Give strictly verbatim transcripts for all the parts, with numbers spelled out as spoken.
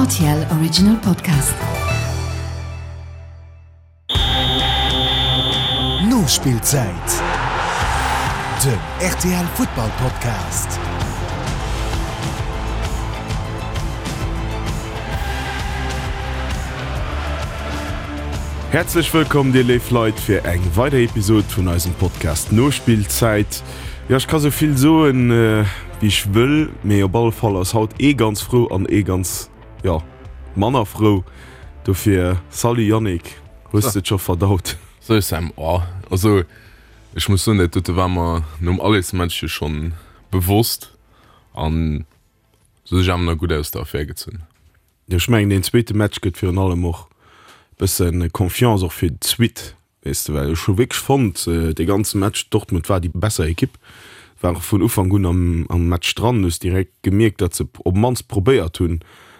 R T L Original Podcast. Nospillzäit, den R T L Futtball Podcast. Häerzlech wëllkomm dir léif Leit fir eng weider Episode vun eisem Podcast Nospillzäit. Jo, ech ka sou vill soen wéi ech wëll, mee op alle Fall ass haut ee ganz frou an ee ganz, jo, manner frou. Dofir salut Yannick, hues de et scho verdaut? Salut Sam, oh also ech muss soen, dat dote war mer nom Allesmatch jo schonn bewosst an se hu sech awer nach gutt aus der Affär gezunn. Jo, ech mengen deen zweete Match gëtt virun allem och bëssen Confiance och fir d'Suite, weess de, well ech hu wierklech fonnt dee ganze Match, Dortmund war déi besser Ekipp, war och vun Ufank un am am Match dran, hues direkt gemierkt, datt se op d'mannst probéiert hunn,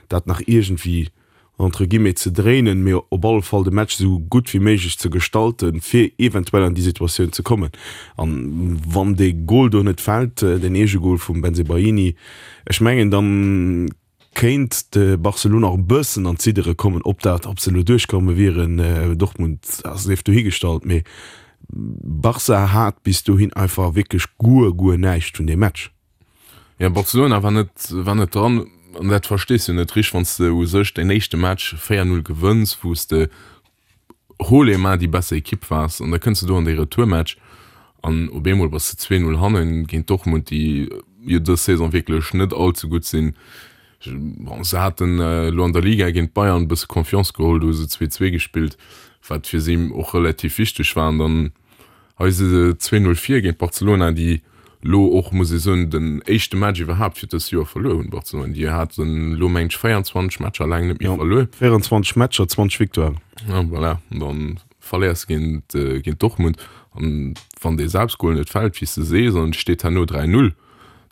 dat nach iergendwéi entre guillemets ze dréinen, mee op alle Fall de Match esou gutt wéi méiglech ze gestalten, fir eventuell an déi Situatioun ze kommen. An wann dee Gol do net fält, deen Eegegol vum Bensebaini, ech mengen dann kéint de Barcelona och e bëssen an d'Ziddere kommen. Ob dat, ob se elo duerchkomme wieren, Dortmund sief dohigestallt, mee Barca hat bis dohin einfach wierklech guer, guer näischt vun deem Match. Jo, Barcelona war net, war net dran an dat verstees du net richteg, wann s de u sech däin éischte Match véier Null gewënns, wou s de haut les mains déi besser Ekipp waars an da kënns de do an dee Retourmatch an op eemol bass de zwee Null hannen géint Dortmund, déi jo dës Saison wierklech net all ze gutt sinn. Bon, se haten elo an der Liga géint d'Bayern e bësse Confiance geholl, do hu se zwee zwee gespillt, wat fir si och relativ wichteg war. An dann hei si se zwee Null vir géint Barcelona, déi elo och, muss ee soen, den éischte Match iwwerhaapt fir dëst Joer verluer hunn. Barcelona, déi haten elo, mengen ech, véierundzwanzeg Matcher laang net méi verluer. véierundzwanzeg Matcher, zwanzeg Victoiren. Ja, voilà. An dann verléiers de géint, géint Dortmund. An wann dee Selbstgol net fält, wéi s de sees, an et steet herno dräi Null,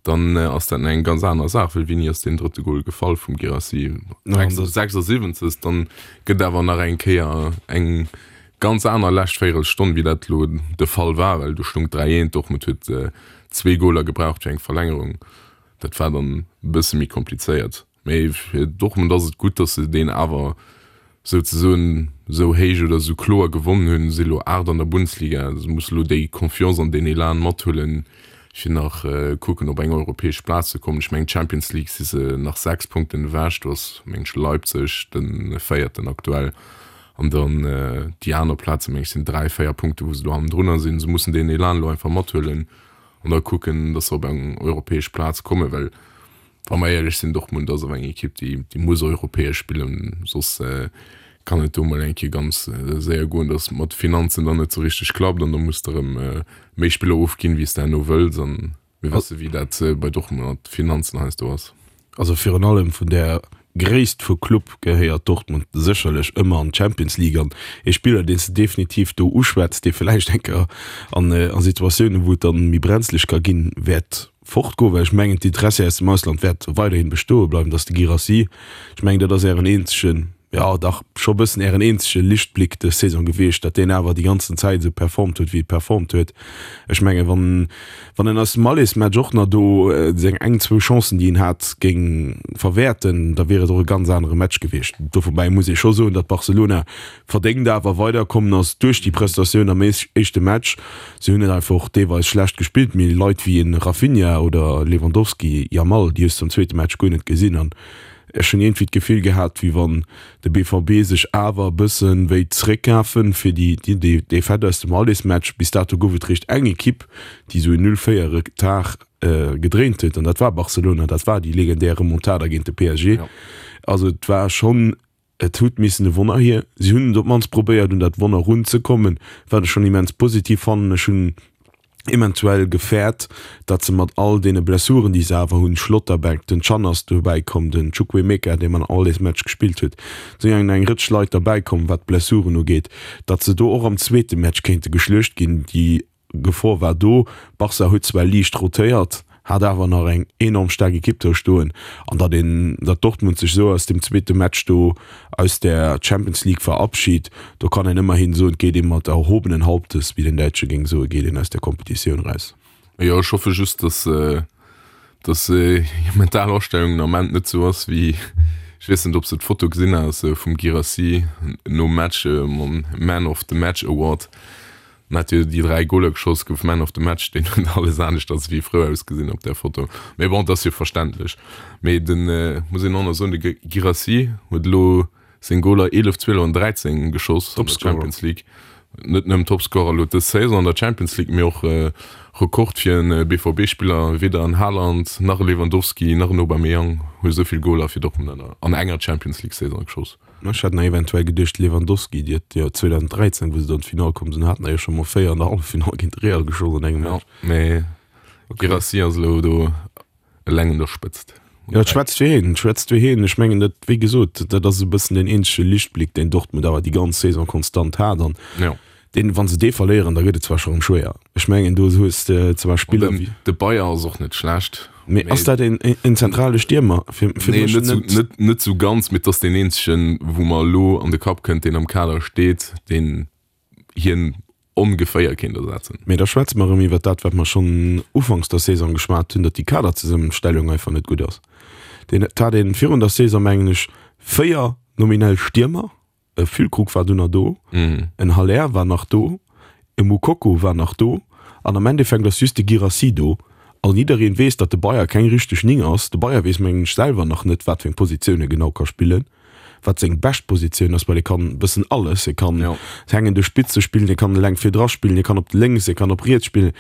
dann ass dat eng ganz aner Saach, well wéini ass deen drëtte Gol gefall vum Guirassy? sechsundsiwwenzeg. Dann gëtt awer nach eng Kéier eng ganz aner lescht Véierelstonn, wéi dat elo de Fall war, well do stoung dräi eent, Dortmund huet zwee Goler gebraucht fir eng Verlängerung. Dat war dann e bësse méi komplizéiert. Mee fir Dortmund ass et gutt, datt se deen awer souzesoen esou héich oder esou kloer gewonnen hunn, si elo aacht an der Bundesliga, se musse elo déi Confiance an deen Elan mathuelen, fir nach kucken op eng europäesch Plaz ze kommen. Ech mengen d'Champions League si se nach sechs Punkten ewech, do ass meng ech Leipzig de Véierten aktuell an dann déi aner Plaze meng ech sinn dräi, véier Punkte wou se do hannendrunner sinn. Se mussen deen Elan elo einfach mathuelen an da kucken, datt se op eng europäesch Plaz kommen, well wa mer éierlech sinn, Dortmund ass awer eng Ekipp, déi, déi muss europäesch spillen, soss kann et do mol eng Kéier ganz séier goen, datt et mat de Finanzen dann net esou richteg klappt an da muss de erëm méi Spiller ofginn, wéi s de herno wëlls. An mir wësse wéi dat bei Dortmund mat de Finanzen heiansdo ass. Also virun allem vun där Gréisst vu Club gehéiert Dortmund sécherlech ëmmer an d'Champions League an ee Spiller, deen s de definitiv do uschwätz, dee vläicht eng Kéier an a Situatiounen, wou et dann méi brenzlech ka ginn, wäert fortgoen, well ech mengen d'Interessi aus dem Ausland wäert weiderhin bestoe bleiwen, dass de Guirassy, ech mengen dat ass ären eenzegen, jo dach scho e bëssen ären eenzege Lichtblick dës Saison gewiescht, datt deen awer déi ganzen Zäit esou performt huet wéi e performt huet. Ech mengen wann wann en aus dem Allesmatch och nach do seng eng zwou Chancen déi en hat géing verwäerten, da wier et och e ganz anere Match gewiescht. Dovobäi muss ee scho soen, datt Barcelona verdéngt awer weiderkommen ass duerch déi Prestatioun am éischte Match. Si hunn net einfach och deelweis schlecht gespillt, mee Leit wéi e Raphinha oder Lewandowski, Yamal, déi hues de am zweete Match guer net gesinn. An ech hunn iergendwéi d'Gefill gehat, wéi wann de B V B sech awer e bësse wéi zeréckkafen fir déi Defaite aus dem Allesmatch. Bis dato gouf et réischt eng Ekipp, déi esou en Null-véier Retard gedréint huet, an dat war Barcelona. Dat war déi legendär Remontada géint de P S G. Also et war schonn. Et huet missen e Wonner hier. Si hunn et op d'mannst probéiert, un dat Wonner runzekommen, wat ech schonn immens positiv fannen. Ech hunn eventuell gefäert, datt se mat all deene Blessuren, déi se awer hunn, Schlotterbeck, den Can ass dobäi komm, den Chukwuemeka, dee man all dees Match gespillt huet, et sinn eng Rëtsch Leit derbäi komm, wat d'Blessuren ugeet, datt se do och am zweete Match kéinte geschluecht ginn. Déi Gefor war do. Barca huet zwar liicht rotéiert, hat awer nach eng enorm staark Ekipp do stoen an datt een, datt Dortmund sech esou aus dem zweete Match do aus der Champions League verabschit, do kann een ëmmerhin soen, et geet ee mat erhobenen Hauptes, wéi den Däitsche géing soen, geet een aus der Kompetitioun eraus. Jo, ech hoffe just, datt datt hir mental Astellung den Ament net esou ass wéi Ech weess net, ob s de d'Foto gesinn has vum Guirassy nom Match mam Man of the Match Award. En hat jo déi dräi Goler geschoss, gouf Man of the Match. Deen huet alles aneschters wéi frou ausgesinn op där Foto. Mee bon, et ass jo verständlech. Mee den, muss een och nach soen, de Guirassy huet elo seng Goler eelef, zwielef an dräizéng geschoss an der Champions League. Net nëmmen Topscorer elo dës Saison an der Champions League, mee och Rekord fir en B V B-Spiller. Weder en Haaland, nach e Lewandowski, nach en Aubameyang hu esou vill Goler fir Dortmund an enger Champions League-Saison geschoss. Ech hat nach eventuell geduecht, Lewandowski, déi huet jo zweedausenddräizéng, wou se do an d'Finall komm sinn, haten der jo scho mol véier an der Halleffinall géint Real geschoss an engem Match. Jo, mee Guirassy ass elo do eleng un der Spëtzt. Jo, et schwätzt fir hien, et schwätzt fir hien. Ech mengen, dat, wéi gesot, dat ass e bëssen deen eenzege Lichtblick, deen Dortmund awer déi ganz Saison konstant hat. An Jo. deen, wa se dee verléieren, da gëtt et zwar scho rëm schwéier. Ech mengen, do hues de zwar Spiller wéi. De Bayer ass och net schlecht. Mee ass dat een, een zentrale Stiermer? Fir, fir Nee, mech net sou, net. net, net sou ganz, mee et ass deen eenzegen, wou mer elo an de Kapp kënnt, deen am Kader steet, deen hien ongeféier kéint ersetzen. Mee da schwätze mer erëm iwwer dat, wat mer schonn ufanks der Saison geschwat hunn, datt déi Kaderzesummenstellung einfach net gutt ass. Deen, et hat een virun der Saison, mengen ech, véier nominell Stiermer, e Füllkrug war dunn nach do, en Haller war nach do, e Moukoko war nach do an am Endeffekt ass just de Guirassy do. An jiddereen weess, datt de Bayer keng richteg Ning ass. De Bayer weess, mengen ech, selwer nach net, wat fir eng Positioun e genau ka spillen, wat seng bescht Positioun ass, well e kann e bëssen alles. E kann Ja. hängende Spitze spillen, e kann eleng virdra spillen, e kann op lénks, e kann op riets spillen.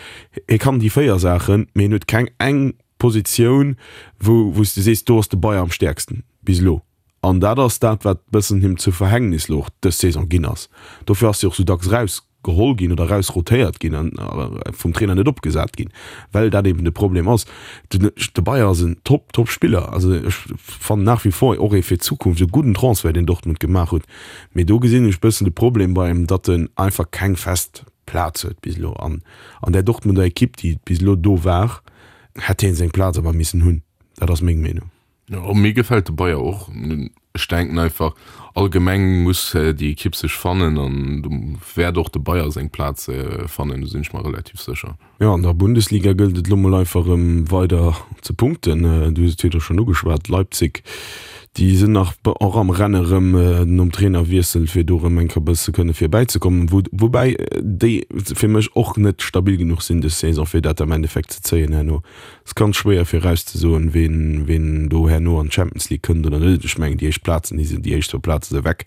E kann déi véier Saachen, mee en huet keng eng Positioun, wou wou s de sees, do ass de Bayer am stäerksten bis elo. An dat ass dat, wat bëssen him zu Verhängnis elo och dës Saison ginn ass. Dofir ass hie och sou dacks raus geholl ginn oder raus rotéiert ginn an vum Trainer net opgesat ginn, well dat eben de Problem ass. Den de Bayer ass en top top Spiller, also ech fannen nach wie vor och ee fir d'Zukunft e gudden Transfert, deen Dortmund gemaach huet, mee do gesinn ech bëssen de Problem bei em, datt en einfach keng fest Plaz huet bis elo an an där Dortmunder Ekipp, déi bis elo do war, hätt hien seng Plaz awer missen hunn. Dat ass meng Meenung. Jo, mir gefält de Bayer och. Ech denken einfach, allgemeng muss déi Ekipp sech fannen an do wäert och de Bayer seng Plaz fannen, do sinn ech mer relativ sécher. Jo, an der Bundesliga gëllt et elo mol einfach erëm weider ze punkten. Du hues et virdru schonn ugeschwat, Leipzig, déi sinn nach och am Renne erëm nom Trainerwiessel, fir do erëm eng Kéier e bësse kënne virbäizekommen, wou woubäi déi fir mech och net stabil genuch sinn dës Saison, fir dat am Endeffekt ze zéien herno. Et ass ganz schwéier virauszesoen, ween, ween do herno an d'Champions League kënnt oder net. Ech mengen, déi éischt Plazen, déi sinn, déi éischt zwou Plaze si weg.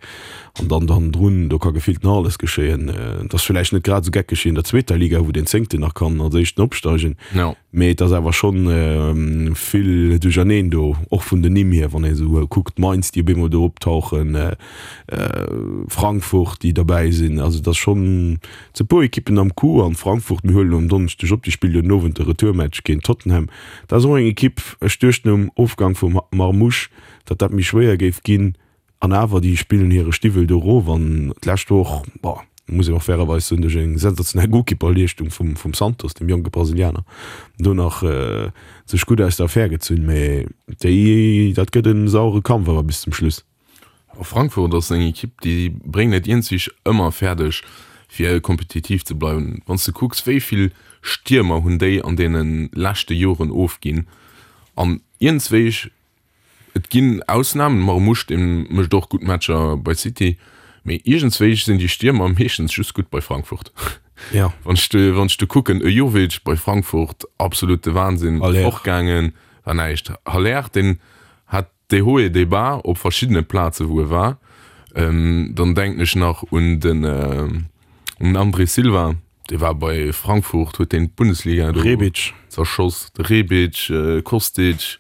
An dann hannendrun, do ka gefillt nach alles geschéien. Et ass villäicht net grad esou geckeg wéi an der zweeter Liga, wou den Zéngten nach kann als Éischten opsteigen. Jo. Mee et ass awer schonn vill Duercherneen do, och vun den Nimm hier, wann ee esou kuckt, Mainz, déi op eemol do optauchen, Frankfurt, déi derbäi sinn. Also et ass schonn, et si puer Ekippen am Coup. An Frankfurt, mir huelen um Donneschdeg op, déi spillt jo den Owend de Retourmatch géint Tottenham. Dat ass och eng Ekipp, ech duecht nom Ofgang vum Marmoush, datt dat méi schwéier géif ginn. An awer, déi spillen hire Stiwwel do erof. An d'lescht Woch, bon, muss een och fairerweis soen, duerch eng sensationell Golkipperleeschtung vum, vum Santos, dem jonke Brasilianer, do nach sech gutt aus der Affär gezunn. Mee déi, dat gëtt e sauere Kampf awer bis zum Schluss. Frankfurt ass eng Ekipp, déi bréngen et iergendwéi ëmmer fäerdeg, fir kompetitiv ze bleiwen. Wann s de kucks, wéi vill Stiermer hunn déi an deene leschte Joren ofginn an iergendswéi, et ginn Ausnamen, Marmoush, dee mécht och gutt Matcher bei City, mee iergendswéi sinn déi Stiermer meeschtens just gutt bei Frankfurt. Ja. Wann ech de, wann ech de kucken, e Jovic bei Frankfurt, absolute Wahnsinn, Haller. fortgaangen, war näischt. Haller, deen hat Des hauts et des bas op verschiddene Plaze wou e war. Dann denken ech nach un den un den André Silva, dee war bei Frankfurt, huet deen d'Bundesliga do Rebic. zerschoss. De Rebic, Kostic.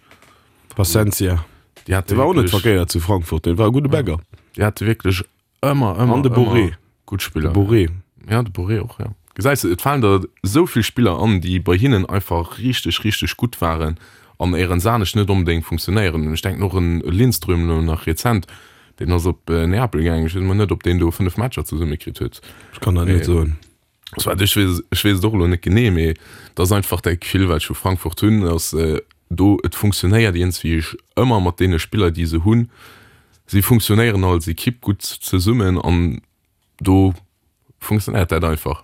Plasencia. Déi hate Dee war och net wierklech, verkéiert zu Frankfurt, dee war e gudde Bagger. déi hate wierklech ëmmer, An ëmmer, de Borré. ëmmer gutt Spiller. De Borré. Ja, de Borré och, ja. Gesäis de, et falen der esou vill Spiller an, déi bei hinnen einfach richteg, richteg gutt waren an éierens anescht net onbedéngt funktionéieren. Ech denken och un Lindström elo nach rezent, deen ass op Neapel gaangen, ech weess emol net, ob deen do fënnef Matcher zesummekritt huet. Ech kann dat net soen. Soit, ech weess, ech weess et och elo net genee, mee et ass einfach dat Gefill, wat ech vu Frankfurt hunn, ass do, et funktionéiert iergendswéi ëmmer mat deene Spiller, déi se hunn. Si funktionéieren als Ekipp gutt zesummen an do funktionéiert dat einfach.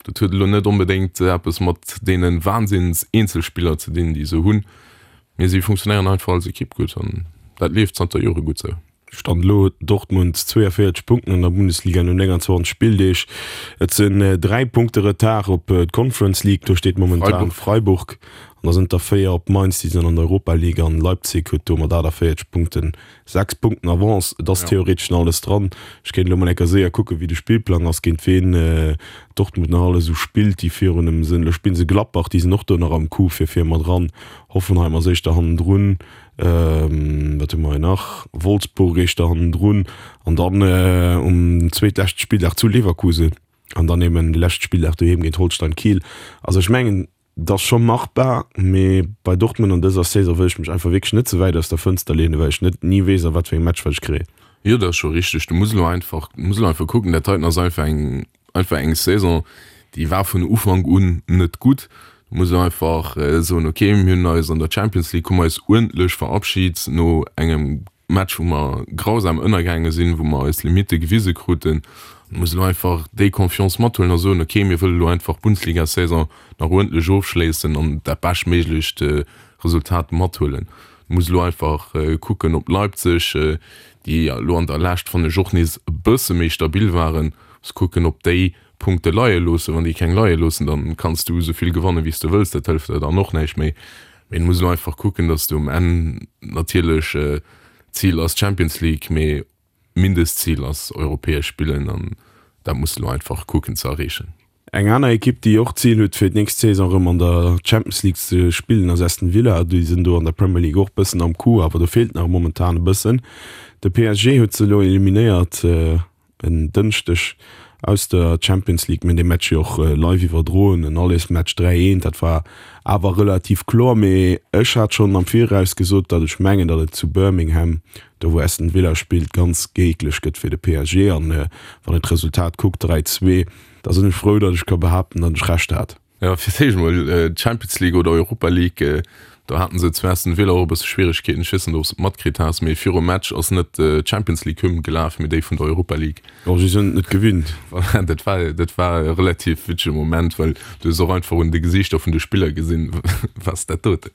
Dat huet elo net onbedéngt eppes mat deene Wahnsinns-Eenzelspiller ze dinn, déi se hunn, mee si funktionéieren einfach als Ekipp gutt an dat leeft zanter Jore gutt sou. Stand elo huet Dortmund zweeënvéierzeg Punkten an der Bundesliga no nénganzwanzeg Spilldeeg. Et sinn dräi Punkte Retard op d'Conference League, do steet momentan Freiburg. An da sinn et der véier op Mainz, déi sinn an der Europa League an Leipzig huet do mat achtaviertzeg Punkten sechs Punkten Avance. Et ass theoretesch nach alles dran. Ech kéint elo mol eng Kéier séier kucken, wéi de Spillplang ass, géint ween Dortmund nach alles esou spillt, déi virun em sinn. Elo spille se Gladbach, déi sinn och do nach am Coup fir vir mat dran. Hoffenheim ass éischter hannendrun. Wat hu mer hei nach? Wolfsburg éischter hannendrun an dann um zweetleschte Spilldag zu Leverkusen an dann eben de leschte Spilldag doheem géint Holstein Kiel. Also ech mengen, et ass scho machbar, mee bei Dortmund an dëser Saison wëll ech mech einfach wierklech net ze wäit aus der Fënster leenen, well ech net ni weess a wat fir engem Match wat ech kréien. Jo, dat ass scho richteg. Du muss elo einfach, du muss elo einfach kucken, dat heiten ass einfach eng, einfach eng Saison, déi war vun Ufank un net gutt. Du muss elo einfach soen, okay, mir hunn eis an der Champions League hu mer eis uerdentlech verabschit no engem Match, wou mer grausam ënnergaange sinn, wou mer eis Limitte gewise kruten. Du muss elo einfach déi Confiance mathuelen a soen, okay, mir wëlle elo einfach d'Bundesliga-Saison nach uerdentlech ofschléissen an dat beschtméiglecht Resultat mathuelen. Du muss elo einfach kucken, ob Leipzig, déi elo an der Lescht, fannen ech, och nees e bësse méi stabil waren, muss kucken, ob déi Punkte leie loossen. Wann déi keng leie loossen, dann kanns du esou vill gewannen, wéi s de wëlls, dat hëlleft der dann och näischt méi. Mee du muss elo einfach kucken, dass du um Enn natierlech, Zil ass d'Champions League, mee Mindestzil ass europäesch spillen an dat muss de elo einfach kucken ze erreechen. Eng aner Ekipp, déi och d'Zil huet, fir d'nächst Saison erëm an der Champions League ze spillen, ass Aston Villa. Déi sinn do an der Premier League och bëssen am Coup, awer do feelt nach momentan e bëssen. De P S G huet se elo eliminéiert en Dënschdeg aus der Champions League. Mir hunn dee Match jo och live iwwerdroen, en Allesmatch, dräi eent, dat war awer relativ kloer. Mee ech hat schonn am Viraus gesot, datt ech mengen, datt et zu Birmingham, do wou Aston Villa spillt, ganz géiglech gëtt fir de P S G. An wann een d'Resultat kuckt, dräi zwee, da sinn ech frou, datt ech ka behaapten, datt ech Recht hat. Jo, fir d'éischt emol d'Champions League oder Europa League, do haten se zu Aston Villa och e bësse Schwieregkeeten. Ech weess net, ob s de et matkritt has, mee virum Match ass net d'Champions League Hymn gelaf, mee déi vun der Europa League. Oh, si sinn et net gewinnt. Voilà, dat war, dat war e relativ witzege Moment, well du hues och einfach un de Gesiichter vun de Spiller gesinn, wat ass dat doten?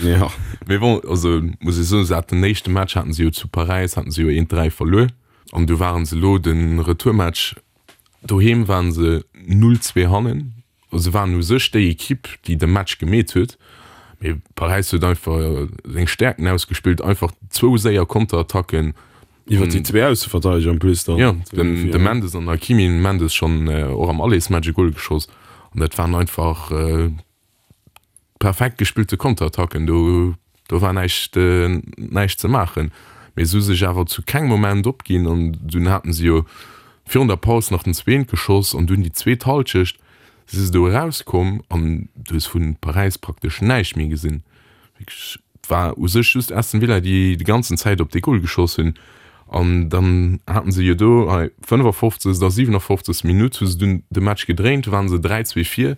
Jo. Mee bon, also muss ech soen, se haten den éischte Match haten se jo zu Paräis, haten se jo eent dräi verluer an du waren se elo de Retourmatch doheem waren se null zwee hannen. Se waren u sech déi Ekipp, déi de Match gemeet huet, mee Paräis huet einfach seng Stäerkten ausgespillt, einfach zwou séier Konterattacken. Iwwer déi zwee Ausseverteideger en plus dann. Jo, den de Mendes an den Hakimi. Den Mendes schonn och am Allersmatch e Gol geschoss an dat waren einfach perfekt gespillte Konterattacken. Do do war näischt näischt ze maachen. Mee se hu sech awer zu kengem Moment opginn an dunn haten se jo virun der Paus nach den zweent geschoss an dunn déi zweet Hallschecht si se do erauskomm an du hues vu Paräis praktesch näischt méi gesinn. Wierklech, et war u sech just Aston Villa, déi déi ganzen Zäit op dee Gol geschoss hunn an dann haten se jo do hei fënnefafofzegst a siwenafoffzegst Minutt hu se dunn de Match gedréint, du waren se dräi zwee vir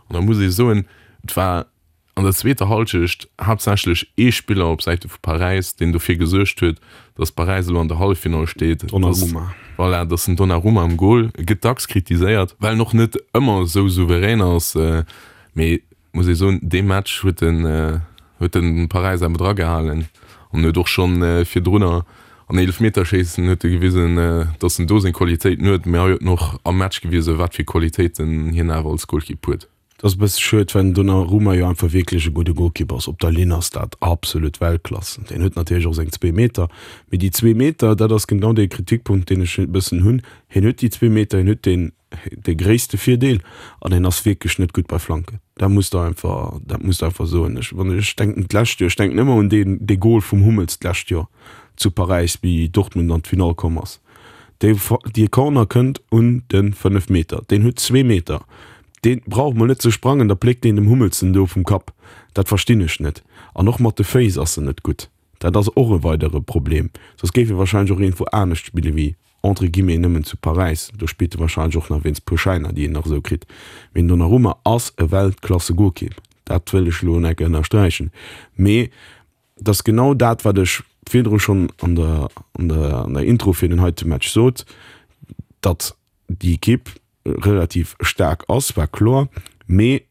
an da muss ee soen, et war an der zweeter Hallschecht haaptsächlech ee Spiller op Säite vu Paräis, deen dofir gesuergt huet, datt Paräis elo an der Halleffinall steet. Donnarumma. Voilà, dat ass den Donnarumma am Gol. E gëtt dacks kritiséiert, well en och net ëmmer esou souverän ass. Mee muss ee soen, dee Match huet en, huet en Paräis awer dragehalen an huet och schonn virdrunner an Eelefmeterschéissen huet e gewisen, datt en do seng Qualitéiten huet. Mee hei huet en och am Match gewisen, wat fir Qualitéiten hien awer als Golkipp huet. Et ass e bësse schued, well den Donnarumma jo einfach wierklech e gudde Golkipp ass. Op der Linn ass dat absolut Weltklass. Deen huet natierlech och seng zwee Meter, mee déi zwee Meter, dat ass genau dee Kritikpunkt, deen ech e bëssen hunn. Hien huet déi zwee Meter, hien huet deen, dee gréisste Virdeel an hien ass wierklech net gutt bei Flanken. Dat muss de einfach, dat muss de einfach soen. Ech, wann ech denken d'lescht Joer, ech denken ëmmer un deen, dee Gol vum Hummels d'lescht Joer zu Paräis, wéi Dortmund an d'Finall komm ass. Dee, dee Corner kënnt un de fënnef Meter, deen huet zwee Meter. Deen brauch mol net ze sprangen, da pléckt deen dem Hummels en do vum Kapp. Dat verstinn ech net. An och mat de Féiss ass en net gutt. Dat ass och e weidere Problem. Soss géif e wahrscheinlech och iergendwou anescht spille wéi, entre guillemets, nëmmen zu Paräis. Do spillt e wahrscheinlech och nach wéinst puer Schäiner, déi en nach esou kritt. Mee den Donnarumma ass e Weltklasse-Golkipp. Dat wëll ech elo enk ënnersträichen. Mee et ass genau dat, wat ech virdru schonn an der, an der, an der Intro fir den heite Match sot, datt déi Ekipp relativ staark ass, war kloer, mee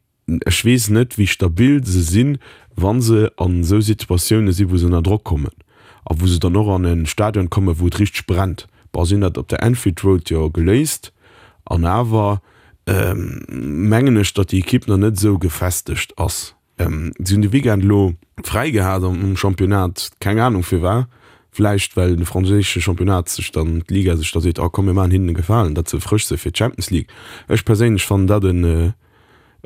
ech weess net, wéi stabil se sinn, wa se an esou Situatioune sinn, wou se ënner Drock kommen. A wou se dann och an e Stadion kommen, wou et richteg brennt. Bon, si hunn dat op der Anfield Road jo geléist an awer mengen ech, datt déi Ekipp nach net esou gefestegt ass. Si hunn de Weekend elo fräi gehat am Championnat, keng Anung firwat, vläicht well de franséische Championnat sech dann, d'Liga sech da seet, oh komm mir maachen hinnen e Gefalen, datt se frësch si fir d'Champions League. Ech perséinlech fannen dat en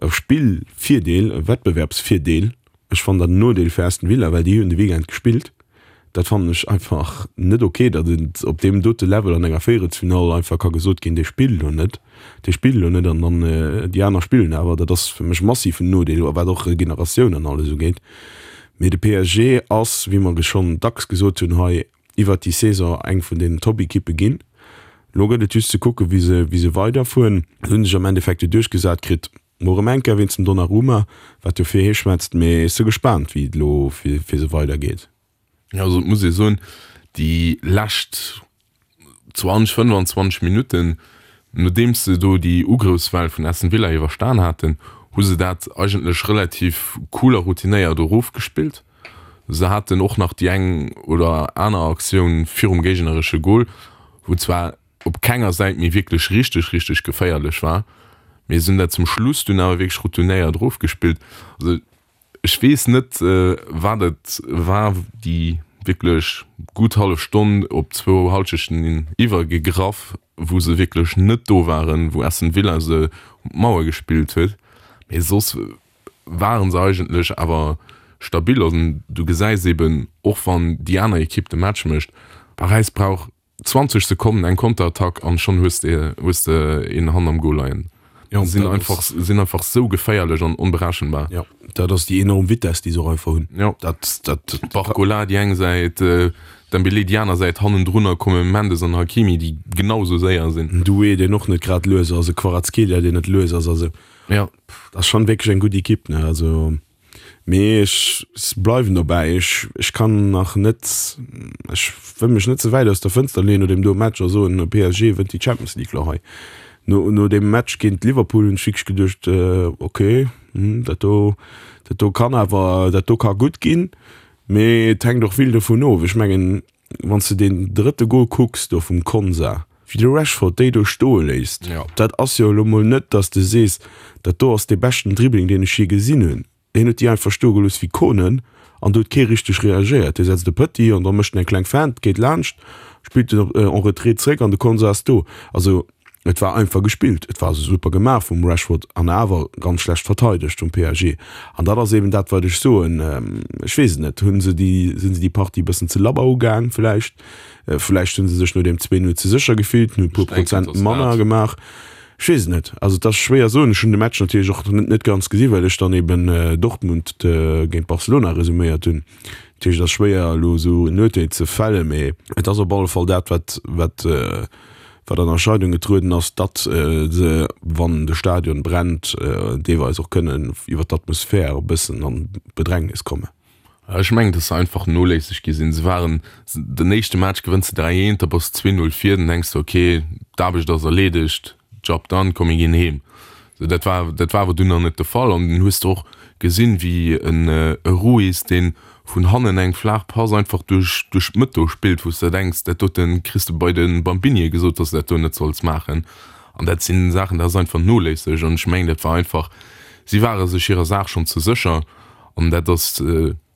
Spillvirdeel, e Wettbewerbsvirdeel. Ech fannen dat en Nodeel fir Aston Villa, well déi hunn de Weekend gespillt. Dat fannen ech einfach net ok, datt et op deem dote Level an enger Véierelsfinall einfach ka gesot ginn, dee spillt elo net, dee spillt elo net an dann déi aner spillen awer. Dat ass fir mech massiv en Nodeel, wat och Regeneratioun an alles ugeet. Mee de P S G ass, wéi mer schonn dacks gesot hunn hei, iwwert déi Saison eng vun den Top-Ekippe ginn. Elo gëtt et just ze kucken, wéi se, wéi se weiderfueren. Se hunn sech am Endeffekt jo duerchgesat kritt, mol erëm eng Kéier wéinst dem Donnarumma, wat jo fir hie schwätzt. Mee ech si gespaant, wéi et elo fir se weidergeet. Jo, also et muss ee soen, déi lescht zwanzeg, fënnwanzwanzeg Minutten, nodeems se do déi Ugrëffswell vun Aston Villa iwwerstan haten, hu se dat eigentlech relativ cool a routinéiert erofgespillt. Se haten och nach déi eng oder aner Aktioun virum géigneresche Gol, wou zwar op kenger Säit méi wierklech richteg, richteg geféierlech war, mee se hunn dat zum Schluss dunn awer wierklech routinéiert erofgespillt. Also ech weess net, wat et war, déi wierklech gutt hallef Stonn op zwou Hallschechten iwwergegraff, wou se wierklech net do waren, wou Aston Villa se op d'Mauer gespillt huet. Mee soss ware se eigentlech awer stabil. An du gesäis eben, och wann déi aner Ekipp de Match mécht, Paräis brauch zwanzeg Sekonnen, eng Konterattack an schonn hues de hues de een Hand am Goal leien. Ja, sinn dat einfach ass sinn einfach sou geféierlech an onberechenbar. Ja, dat ass déi enorm Vitess, déi se och einfach hunn. Ja. Dat dat Barcola déi eng Säit, Dembélé déi aner Säit, hannendrunner komme Mendes an Hakimi, déi genau sou séier sinn. En Doué, deen och net grad lues ass, e Kvaratskhelia, deen net lues ass. Also Ja. dat ass schonn wierklech eng gutt Ekipp, ne? Also Mee ech bleiwen dobäi, ech ech kann nach net, ech wëll mech net ze wäit aus der Fënster leeën no deem do Match a soen, P S G wënnt déi Champions League lo hei. No no deem Match géint Liverpool hunn ech wierklech geduecht, okay, dat do dat do kann awer, dat do ka gutt ginn, mee et hänkt och vill dovun of. Ech mengen, wann s de deen drëtte Gol kucks do vum Konsa, wéi de Rashford déi do stoe léisst, dat ass jo elo mol net, datt s de sees, dat do ass dee beschten Dribbling, deen ech jee gesinn hunn. Hien huet déi einfach stoe gelooss wéi Konen an do huet kee richteg reagéiert. Hie setzt e Petit an da mécht en eng kleng Feinte, geet laanscht, spillt en en retrait zréck an de Konsa ass do. Also et war einfach gespillt, et war super gemaach vum Rashford an awer ganz schlecht verteidegt vum P S G. An dat ass eben dat, wat ech soen. Ech weess et net, hu se déi, sinn se déi Partie e bëssen ze labber ugaang vläicht? Vläicht hu se sech no deem zwee Null ze sécher gefillt, hunn e puer Ech denken, Prozent et ass manner dat. gemaach. Ech weess et net. Also et ass schwéier soen. Ech hunn de Match natierlech och net ganz gesinn, well ech dann eben Dortmund géint Barcelona resuméiert hunn. Dat heescht, et ass schwéier elo esou en Urteel ze fällen, mee et ass op alle Fall dat, wat wat wat an Erscheinung getrueden ass, datt se, wann de Stadion brennt, deelweis och kënnen iwwer d'Atmosphär e bëssen an Bedrängnis kommen. Ech mengen, dass se einfach noléisseg gi sinn. Se waren, den éischte Match gewënns de dräi eent, da bass de zwee null vir, dann denks de, okay, d'Aarbecht ass erleedegt, Job done, komm mir ginn heem. Sou, dat war, dat war awer dunn nach net de Fall. An dunn hues de och gesinn, wéi en e Ruiz, dee vun hannen eng flaach Pass einfach duerch, duerch d'Mëtt do spillt, wou s de denks, dat dote kriss de bei de Bambinie gesot, dass de dat do net solls maachen. An dat sinn Saachen, dat ass einfach noléisseg. An ech mengen, dat war einfach, si ware sech hirer Saach schonn ze sécher. An dat ass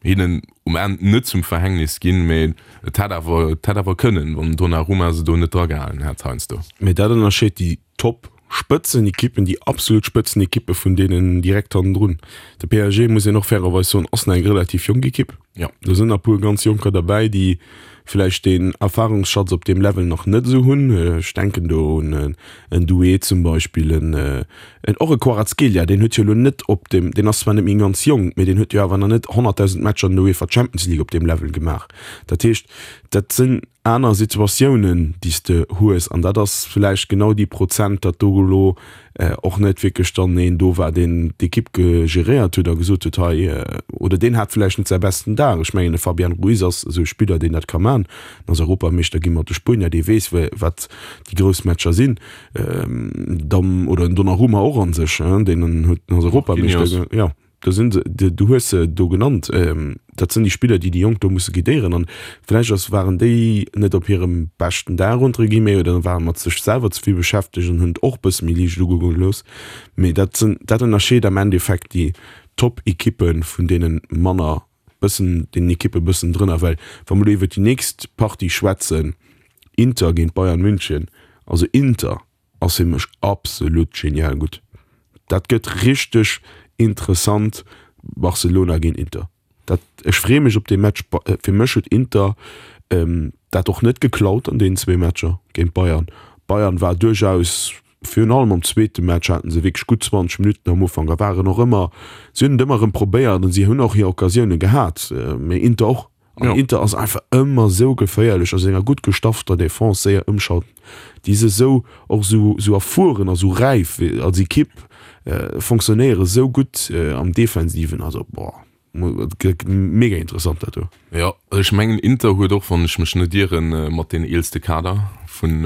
hinnen um Enn net zum Verhängnis ginn, mä et hätt awer, et hätt awer kënnen, wann Donnarumma se do net dragehalen hätt heiansdo. Mä dat ënnerscheet déi Top-Spëtzenekippen, déi absolut Spëtzenekippe vun deenen direkt hannendrun. De P S G, muss een och fairerweis soen, ass nach eng relativ jonk Ekipp. Jo. Do sinn nach e puer ganz Jonker derbäi, déi vläicht deen Erfahrungsschatz op deem Level nach net esou hunn. Ech denken do un en Doué zum Beispill, en och e Kvaratskhelia, deen huet jo elo net op deem, deen ass zwar net méi ganz jonk, mee deen huet jo awer nach net honnertdausend Matcher an der UEFA Champions League op deem Level gemaach. Dat heescht, dat sinn aner Situatiounen, déi s de hues, an dat ass vläicht genau déi Prozent, datt do elo och net wierklech dann een do war, deen d'Ekipp geréiert huet a gesot huet, hei, oder deen hat vläicht net säi besten Dag. Ech mengen, de Fabian Ruiz ass esou e Spiller, deen dat ka man. En ass Europameeschter gi mat de Spuenier, dee weess, wat déi grouss Matcher sinn. Dann, oder en Donnarumma och a sech, deen huet, ass Europameeschter, jo. do sinn se, du hues se do genannt, dat sinn déi Spiller, déi déi Jonk do musse guidéieren. An vläicht ass, waren déi net op hirem beschten Dag entre guillemets oder ware mat sech selwer ze vill beschäftegt an hunn et och e bësse méi liicht ugoe gelooss. Mee dat sinn, dat ënnerscheet am Endeffekt déi Top-Ekippe vun deene manner bëssen, deenen Ekippe bëssen drënner. Well wa mer elo iwwert déi nächst Partie schwätzen, Inter géint Bayern München, also Inter ass fir mech absolut genial gutt. Dat gëtt richteg interessant, Barcelona géint Inter. Dat, ech freeë mech op dee Match. Fir mech huet Inter dat och net geklaut an deenen zwee Matcher géint Bayern. Bayern war duerchaus, virun allem am zweete Match haten se wierklech gutt zwanzeg Minutten am Ufank a waren och ëmmer, si hunn et ëmmer erëm probéiert an si hunn och hir Occasioune gehat, mee Inter och. An Inter ass einfach ëmmer esou geféierlech a senger gutt gestaffter Defense, séier ëmschalten. Déi si esou och esou esou erfueren a sou räif als Ekipp, fonctionnéiere esou gutt am Defensiven. Also boah, mega interessant dat do. Jo, ech mengen Inter huet och, wann ech mech net ieren, mat deen eelste Kader vun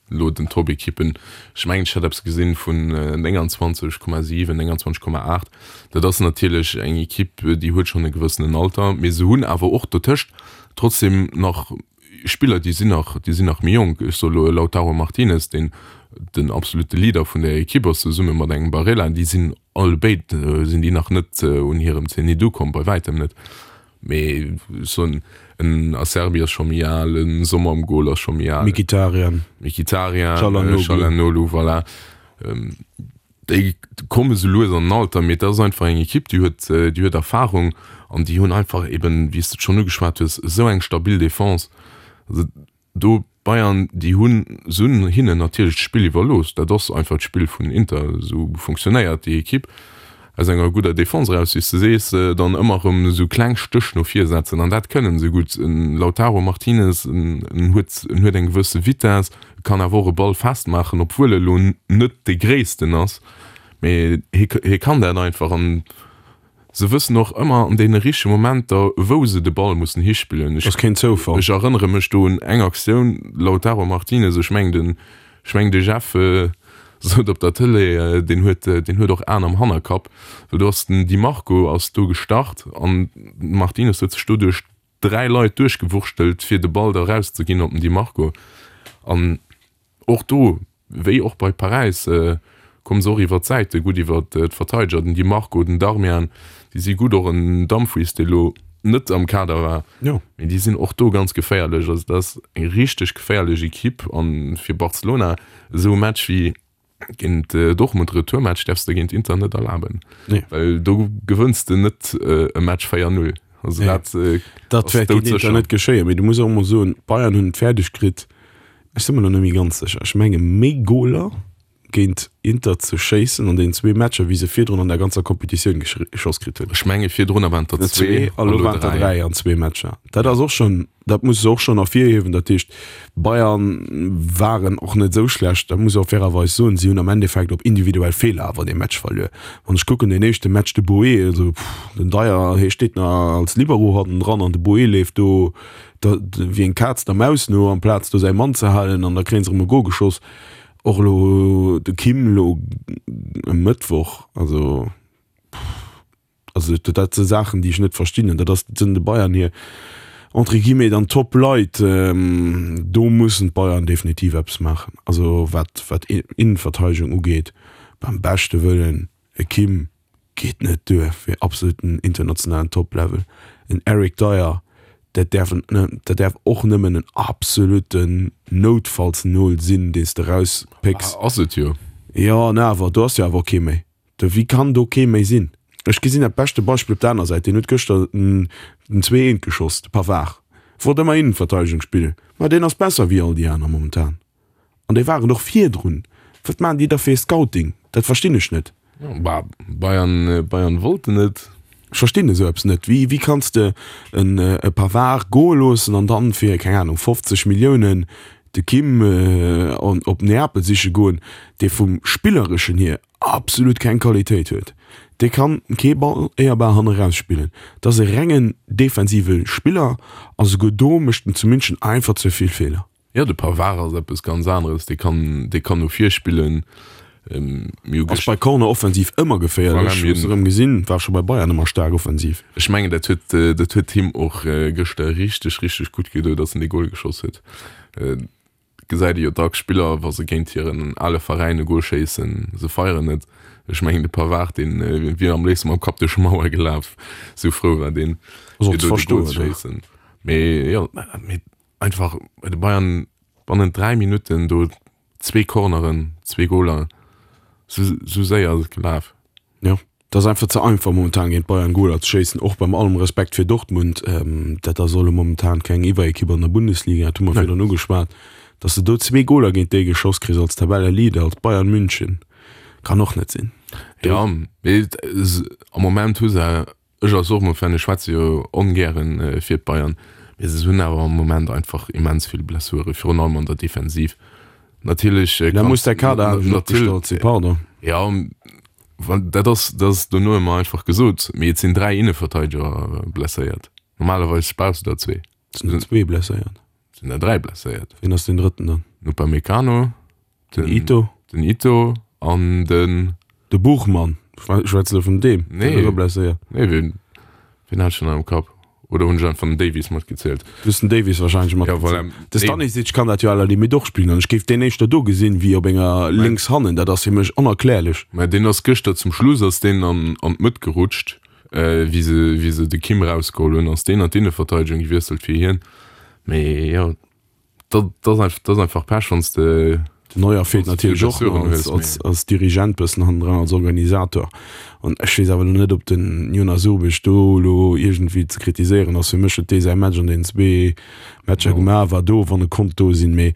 elo den Top-Ekippen, ech mengen ech hätt eppes gesinn vun nénganzwanzeg Komma siwen, nénganzwanzeg Komma aacht, dat ass natierlech eng Ekipp, déi huet schonn e gewëssenen Alter, mee se hunn awer och dotëscht trotzdem nach Spiller, déi sinn nach, déi sinn nach méi jonk. Ech soe elo e Lautaro Martinez, deen den absolute Leader vun där Ekipp ass, zesumme mat engem Barella, déi sinn allebéid sinn déi nach net un hirem Zenit ukomm, bei wäitem net. Mee ech soen, en Acerbi ass scho méi al, en Sommer am Goal ass scho méi al. Mkhitaryan. Mkhitaryan, Çalhanoğlu, voilà. Déi komme sou lues an den Alter, mee dat ass einfach eng Ekipp, déi huet, déi huet Erfarung an déi hunn einfach eben, wéi s de et schonn ugeschwat hues, esou eng stabil Defense. Also do d'Bayern, déi hunn, se hunn hinnen natierlech d'Spill iwwerlooss. Dat ass einfach d'Spill vun Inter, esou funktionéiert déi Ekipp. Aus enger gudder Defense eraus, wéi s de sees, dann ëmmer erëm esou kleng Stéch no vir setzen an dat kënnen se gutt. En Lautaro Martinez, en huet, en huet eng gewësse Vitess, kann awer och e Ball festmaachen, obwuel e lo net dee Gréissten ass, mee hie, hie kann dat einfach an se wëssen och ëmmer an deene richtege Momenter, wou se de Ball mussen hispillen. Ass keen Zoufall. Ech erënnere mech do un eng Aktioun, Lautaro Martinez, ech mengen den, ech mengen de Jeff, Sot op der Tëlee, deen huet, deen huet och Aen am Hannerkapp, well do ass den Di Marco ass do gestart an den Martinez huet sech do duerch dräi Leit duerchgewurschtelt, fir de Ball da erauszeginn op den Di Marco. An och do, wéi och bei Paräis, komme se och iwwer d'Säite gutt iwwer d'Verteideger, den Di Marco, den Darmian, déi si gutt, och en Dumfries, dee lo net am Kader war, mee déi sinn och do ganz geféierlech. Also dat ass eng richteg geféierlech Ekipp an fir Barcelona esou e Match wéi géint Dortmund, Retourmatch, däerfs de géint Inter net erlaben, well do gewënns de net e Match véier null. Also dat dat wäert géint Inter net geschéien. Mee du muss och emol soen, d'Bayern hunn et fäerdeg kritt, ech si mer elo net méi ganz sécher, ech menge méi Goler géint Inter ze schéissen an deenen zwee Matcher, wéi se virdrun an der ganzer Competitioun geschoss kritt hunn. Ech menge virdrunner waren et der zwee, a lo waren et der dräi an zwee Matcher. Dat ass och schonn, dat muss de och schonn ervirhiewen. Dat heescht, Bayern waren och net esou schlecht, dat muss ee och fairerweis soen. Si hunn am Endeffekt op individuell Feeler awer dee Match verluer. Wann ech kucken, deen éischte Match, de Boe, also den Dier, hie steet nach als Libero hannendran an de Boe leeft do wéi eng Kaz der Maus no, amplaz do säi Mann ze halen an da kréie se erëm e Gol geschoss. Och elo de Kim elo e Mëttwoch, also also dat si Saachen, déi ech net verstinn. An dat ass, dat sinn de Bayern hir entre guillemets dann Top-Leit. Do mussen d'Bayern definitiv eppes maachen. Also wat wat Innenverteidegung ugeet, beim beschte Wëllen e Kim geet net duer fir absoluten internationalen Top-Level. En Eric Dier, dat däerf en, dat däerf och nëmmen en absoluten Noutfallsnol sinn, deen s de erauspécks. Ass et jo. Jo, an awer, do ass jo awer och kee méi. Do, wéi kann do kee méi sinn? Ech gesinn dat beschte Beispill op der aner Säit, deen huet gëschter den zwee eent geschoss, de Pavard. Wollt ëmmer Innenverteidegung spillen, ma deen ass besser wéi all déi aner momentan. An déi waren och virdrun. Wat maachen déi da fir ee Scouting? Dat verstinn ech net. Bah, Bayern, Bayern wollten et. Ech verstinn esou eppes net. Wéi, wéi kanns de en e Pavard goe loossen an dann fir, keng Ahnung, fofzeg Milliounen de Kim op Neapel siche goen, dee vum Spillereschen hier absolut keng Qualitéit huet. Dee kann kee Ball éierbar hanne raus spillen. Dat ass e rengen defensive Spiller a souguer do mécht en zu München einfach ze vill Feeler. Jo, de Pavard ass eppes ganz aneres. Dee kann, dee kann no vir spillen. Mir hu Ass bei Corner offensiv ëmmer geféierlech. Voilà, mir Hues erëm gesinn, war scho bei Bayern ëmmer staark offensiv. Ech mengen dat huet dat huet him och gëschter richteg richteg gutt gedo, datt en dee Gol geschoss huet. Gesäit ee jo dacks Spiller, wa se géint hiren ale Veräin e Gol schéissen, se feieren net. Ech mengen de Pavard, deen wier am léifste mam Kapp duerch d'Mauer gelaf, sou frou war deen, Ass och fir ze do de Gol verstoen, ze ne? schéissen. Mee jo, mee einfach bei de Bayern bannent dräi Minutten do zwee Corneren, zwee Goler, sou sou séier ass et gelaf. Jo, et ass einfach ze einfach momentan géint Bayern Goler ze schéissen, och beim allem Respekt fir Dortmund, dat ass elo momentan keng Iwwerekipp an der Bundesliga, dat hu mer virdrun ugeschwat, datt s de do zwee Goler géint déi geschoss kriss als Tabelleleader, als Bayern München, kann och net sinn. Jo, mee am Moment hu se, ech als Dortmund-Fan, ech schwätze jo ongären fir d'Bayern, mee se hunn awer am Moment einfach immens vill Blessuren, virun allem an der Defensiv. Natierlech Da muss der Kader anescht opgestallt sinn, pardon. Ja, dat ass, dat ass dono ëmmer einfach gesot, mee et sinn dräi Inneverteideger blesséiert. Normalerweis brauchs du der zwee. Et sinn der zwee blesséiert. Et sinn der dräi blesséiert. Wien ass deen drëtten dann? Den Upamecano, den Ito, den Ito an den. De Buchmann. Schwätz de vun deem? Nee. Deen ass och blesséiert. Nee, wien, wien hat ech denn am Kapp? Oder hunn ech einfach den Davies matgezielt? Du hues den Davies wahrscheinlech matgezielt. Ja, voilà. De Stanisic kann dat jo à la limite och spillen an ech géif deen éischter do gesinn wéi op enger lénks hannen. Dat ass fir mech onerklärlech. Mä deen ass gëschter zum Schluss ass deen an an d'Mëtt gerutscht, wéi se wéi se de Kim erausgeholl hunn, ass deen an d'Inneverteidegung gewiesselt fir hien. Mee jo, dat dat ass einfach dat ass einfach Pech, wann s de Den Neuer feelt natierlech och nach als, als, als Dirigent bëssen hannendran, als Organisator. An ech weess awer elo net, ob den Jonas Urbig do elo iergendwéi ze kritiséieren ass. Fir mech huet dee säi Match an deenen zwee Matcher gemaach, war do, wann e konnt do sinn. Mee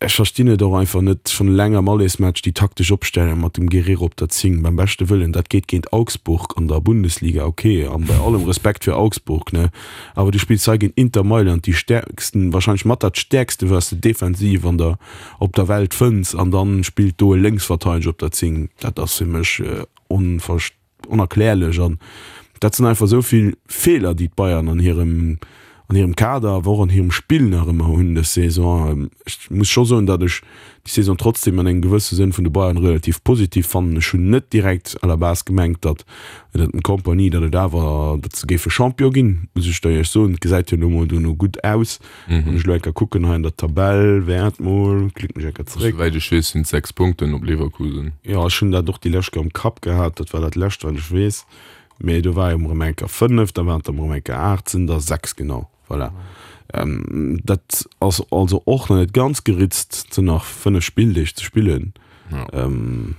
ech verstinn et och einfach net, schonn eleng am Allersmatch déi taktesch Opstellung mat dem Guerrero op der Zéng, beim beschte Wëllen, dat geet géint Augsburg an der Bundesliga, ok, an bei allem Respekt fir Augsburg, ne, awer du spills hei géint Inter Mailand, déi stäerksten, wahrscheinlech mat dat stäerkste wat s de defensiv an der, op der Welt fënns, an dann spillt do e Lénksverteideger op der Zéng. Dat ass fir mech onverst-, onerklärlech an dat sinn einfach esou vill Feeler, déi d'Bayern an hirem, an hirem Kader, awer och an hirem Spill nach ëmmer hunn dës Saison. Ech muss scho soen, datt ech déi Saison trotzdem an engem gewësse Sënn vun de Bayern relativ positiv fannen. Ech hunn net direkt à la base gemengt, datt ënnert dem Kompany, datt et awer, datt se géife Champion ginn, muss ech der Iech soen. Et gesäit jo elo mol dono gutt aus. Wann ech elo eng Kéier kucken hei an der Tabell, wäert mol, klicken ech eng Kéier zréck. Souwäit ech weess, sinn et sechs Punkten op Leverkusen. Jo, ech hunn dat och déi lescht Kéier am Kapp gehat, dat war dat lescht wat ech weess. Mee do war jo erëm eng Kéier fënnef, da waren et erëm eng Kéier aacht, sinn der sechs, genau. Voilà. Dat ass also och nach net ganz geritzt, et sinn nach fënnef Spilldeeg ze spillen. Ja. An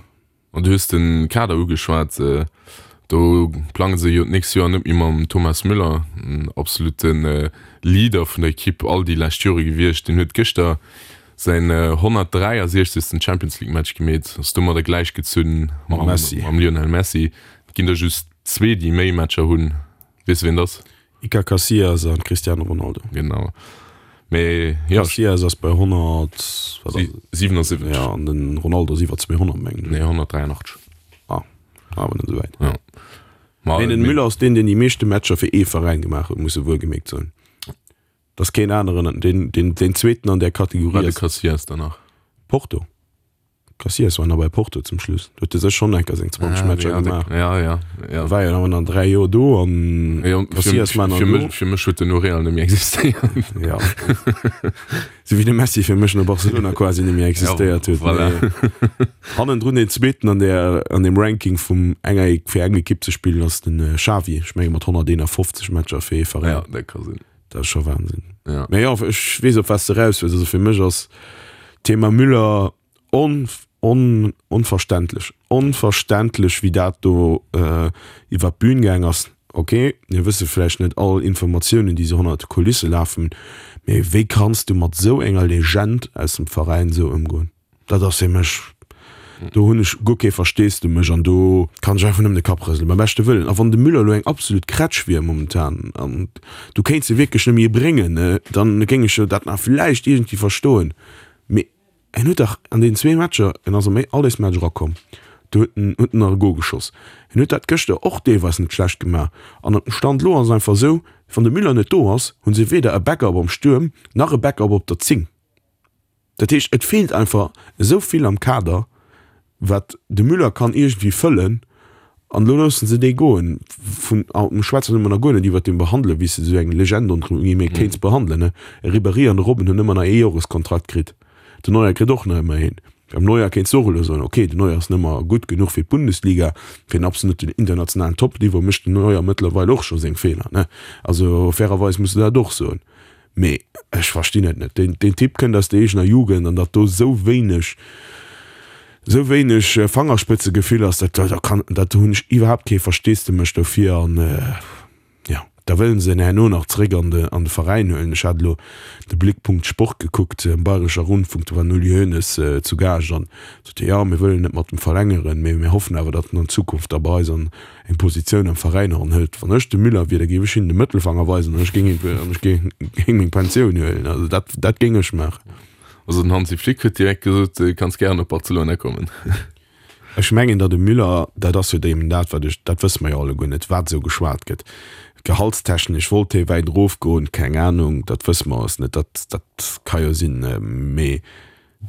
du hues de Kader ugeschwat, do plange se jo d'nächst Joer net méi mam Thomas Müller, en absolute Leader vun der Ekipp all déi lescht Jore gewiescht. Deen huet gëschter säin honnertdräiasiechzegsten Champions League Match gemeet, ass domadder gläichgezunn Mam Messi. Mam Lionel Messi. Et ginn der just zwee, déi méi Matcher hunn. Weess de wien et ass? Iker Casillas an Cristiano Ronaldo. Genau. Mee jo. Casillas ass bei honnert, wat ass et? siwenundsiwwenzeg. Ja, an den Ronaldo ass iwwer zweehonnert, mengen ech. Nee, honnertdräianachtzeg. Ah, awer net esou wäit. Ja. Ma Nee, den Müller ass deen, deen déi meeschte Matcher fir ee Veräin gemaach huet, muss e wuelgemierkt soen. Et ass keen aneren, deen, deen, deen zweeten an där Kategorie War de ass. Casillas dann nach? Porto. Casillas war nach bei Porto zum Schluss. Do huet e sech schonn enker seng zwanzeg Matcher ja, gemaach. Ja, ja, ja. War jo awer nach dräi Joer do an Ja, Casillas war nach fir, do. mech, fir mech huet den no Real net méi existéiert. Ja. Sou wéi de Messi fir mech no Barcelona quasi net méi existéiert huet. Ja, voilà. Mee hannendrun deen zweeten an der, an dem Ranking vum enger, fir eng Ekipp ze spillen ass den Xavi, ech menge mat honnerteenafofzeg Matcher fir ee Veräin. Ja, dat ka sinn. Dat ass scho Wahnsinn. Ja. Mee jo, ech weess op wat s de eraus wëlls. Also fir mech ass Thema Müller on, on, onverständlech. Onverständlech, wéi dat do äh, iwwer d'Bühn gaang ass. Ok, mir wësse vläicht net all Informatiounen, déi sou hannert de Kulisse lafen, mee wéi kanns du mat sou enger Legend aus dem Veräin sou ëmgoen? Dat ass fir mech, do hunn ech guer kee Versteesdemech an do kann ech einfach nëmmen de Kapp rëselen, beim beschte Wëllen. A wann de Müller elo eng absolut Krätsch wier momentan an du kéints e wierklech net méi bréngen, dann géing ech jo dat nach vläicht iergendwéi verstoen, mee En huet dach an deenen zwee Matcher, en ass am Allesmatch erakomm, do huet en huet en nach e Gol geschoss. En huet dat gëschter och deelweis net schlecht gemaach. An op dem Stand elo ass et einfach esou, wann de Müller net do ass, hu se weder e Backup am Stuerm nach e Backup op der Zéng. Dat heescht, et feelt einfach esou vill am Kader, wat de Müller kann iergendwéi fëllen, an elo loosse se dee goen. Vun, a mir schwätzen ëmmer nach guer net iwwert dee behandelen, wéi s de esou eng Legend entre guillemets kéints behandelen, ne. E Ribéry an de Robben hunn ëmmer nach ee Joreskontrakt kritt, den Neuer kritt och nach ëmmer een. Beim Neuer kéints de och elo soen, okay, den Neuer ass net méi gutt genuch fir d'Bundesliga, fir den absoluten internationalen Top-Niveau mécht den Neuer mëttlerweil och scho seng Feeler, ne. Also fairerweis muss de dat och soen. Mee ech verstinn et net. Deen, deen Typ kënnt aus der eegener Jugend an datt do esou wéineg, esou wéineg Fangerspëtzegefill ass, dat, dat kann, dat hunn ech iwwerhaapt kee Versteesdemech dofir. An jo, da wëllen se en herno nach zréck an de, an de Veräin huelen. Ech hat elo de Blickpunkt Sport gekuckt am Bayrescher Rundfunk, do war den Uli Hoeneß zu Gaascht an sot hie, jo mir wëllen net mat em verlängeren, mee mir hoffen awer, datt en an Zukunft da bei eis an eng Positioun am Veräin eranhëlt. Wann ech de Müller wier, da géif ech hinnen de Mëttelfanger weisen an ech géing an ech géing meng Pensioun huelen. Also dat, dat géing ech maachen. Also den Hansi Flick huet direkt gesot, du kanns gären op Barcelona kommen. Ech mengen, datt de Müller, dat ass jo eben dat, wat ech, dat wësse mer jo alleguer net, wat esou geschwat gëtt. Gehaltstechnesch wollt hie wäit erofgoen, keng Anung, dat wësse mer alles net, dat, dat ka jo sinn. Mee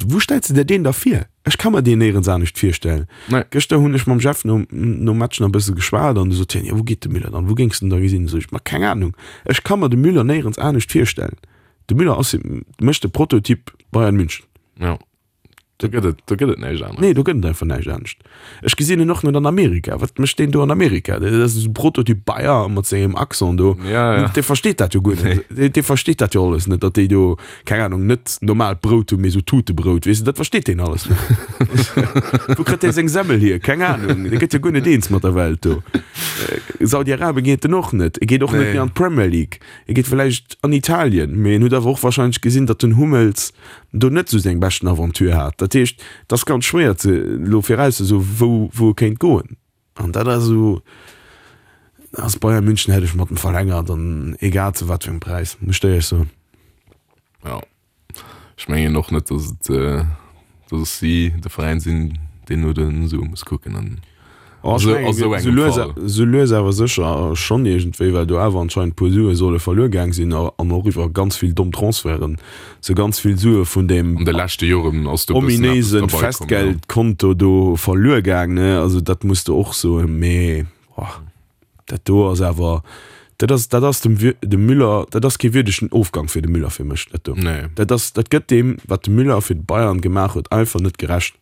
wou stells de der deen da vir? Ech ka mer deen néierens anescht virstellen. Nee. Gëschter hunn ech mam Jeff nom, nom Match nach e bësse geschwat an du sot hien, jo wou geet de Müller dann, wou géings de en da gesinn? Sot ech, ma keng Anung, ech ka mer de Müller néierens anescht virstellen. De Müller ass mécht de Prototyp Bayern München. Ja. Do gëtt et, do gëtt et näischt anescht. Nee, do gëtt et einfach näischt anescht. Ech gesinn en och net an Amerika. Wat mécht deen do an Amerika? Dat ass esou Prototyp Bayer mat sengem Accent do. Ja, ja. Dee versteet dat jo guer net. Nee. Dee versteet dat jo alles net, datt déi do, keng Ahnung, net normaalt Brout hunn, mee esou Tutebrout, weess de, dat versteet deen alles net. Wou kritt dee seng Semmel hier? Keng Ahnung. Dee gëtt jo guer net eens mat der Welt do. Saudi-Arabien geet en och net. E geet och net Nee. méi an d'Premier League. E geet vläicht an Italien, mee en huet awer och wahrscheinlech gesinn, datt den Hummels do net esou seng beschten Aventure hat. Dat heescht, et ass ganz schwéier ze elo virauszesoen, wou wou e kéint goen. An dat ass esou, ass Bayern München hätt ech mat em verlängert an egal zu wat fir engem Präis, muss ech der éierlech soen. Ja, ech mengen och net, datt et, datt si de Veräin sinn, deen no de Sue muss kucken an Oh, esou a sou engem Fall. Sou lues awer sécher schonn iergendwéi, well do awer anscheinend puer Sue solle verluer gaang sinn an och iwwer ganz vill domm Transferten sou ganz vill Sue vun deem An de leschte Joren ass do e bëssen eppes ominéise derbei komm, jo. Festgeldkonto do verluer gaang, ne? Also dat muss de och soen. Mee oh, dat do ass awer, dat ass, dat ass dem dem Müller, dat ass kee wierdegen Ofgang fir de Müller fir mech, dat do. Nee. Dat ass, dat gëtt deem, wat de Müller fir d'Bayern gemaach huet, einfach net gerecht.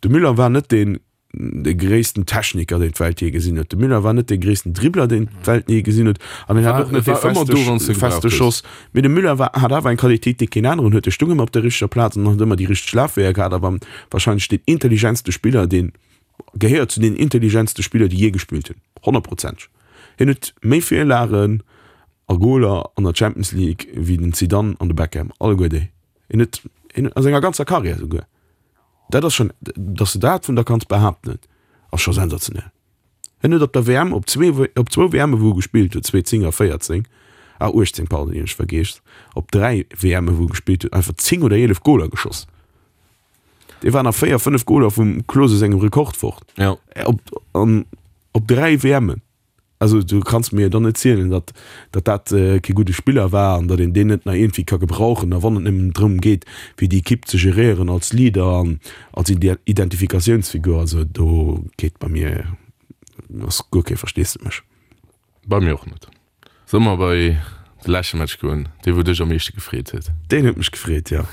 De Müller war net deen, de gréissten Techniker, deen d'Welt jee gesinn huet. De Müller war net dee gréissten Dribbler, deen d'Welt jee gesinn huet. An en hat och net dee feste, feste Schoss. Mee de Müller war, hat awer eng Qualitéit, déi keen aneren huet. E stung ëmmer op der richteger Plaz an huet ëmmer déi richteg Lafweeër gehat a war wahrscheinlech deen intelligentste Spiller, deen gehéiert zu den intelligentste Spiller, déi jee gespillt hunn. Honnertprozenteg. Hien huet méi Virlagen a Goler an der Champions League wéi den Zidane an de Beckham, alleguer déi. Hien huet, hien huet a senger ganzer Karriär esouguer. Dat ass schon, dass de dat vun der kanns behaapten, ass scho sensationell. Hien huet op der W M, op zwee, op zwou W Mme wou e gespillt huet, zwee zéng a véierzéng, ah uechtzéng, pardon, déi hunn ech vergeess, op dräi W Mme wou e gespillt huet, einfach zéng oder eelef Goler geschoss. Dee war nach véier, fënnef Goler vum Klose sengem Rekord fort. Ja. Op, an, op dräi W Mmen. Also du kanns mir dann net zielen, datt datt dat kee gudde Spiller war an datt een deen net nach iergendwéi ka gebrauchen. A wann et nëmmen drëm geet, fir déi Ekipp ze geréieren als Leader an als Identifikatiounsfigur, also do geet bei mir ass guer kee Versteesdemech. Bei mir och net. Solle mer bei de leschte Match goen, dee wou dech am meeschte gefreet huet? Deen huet mech gefreet, jo.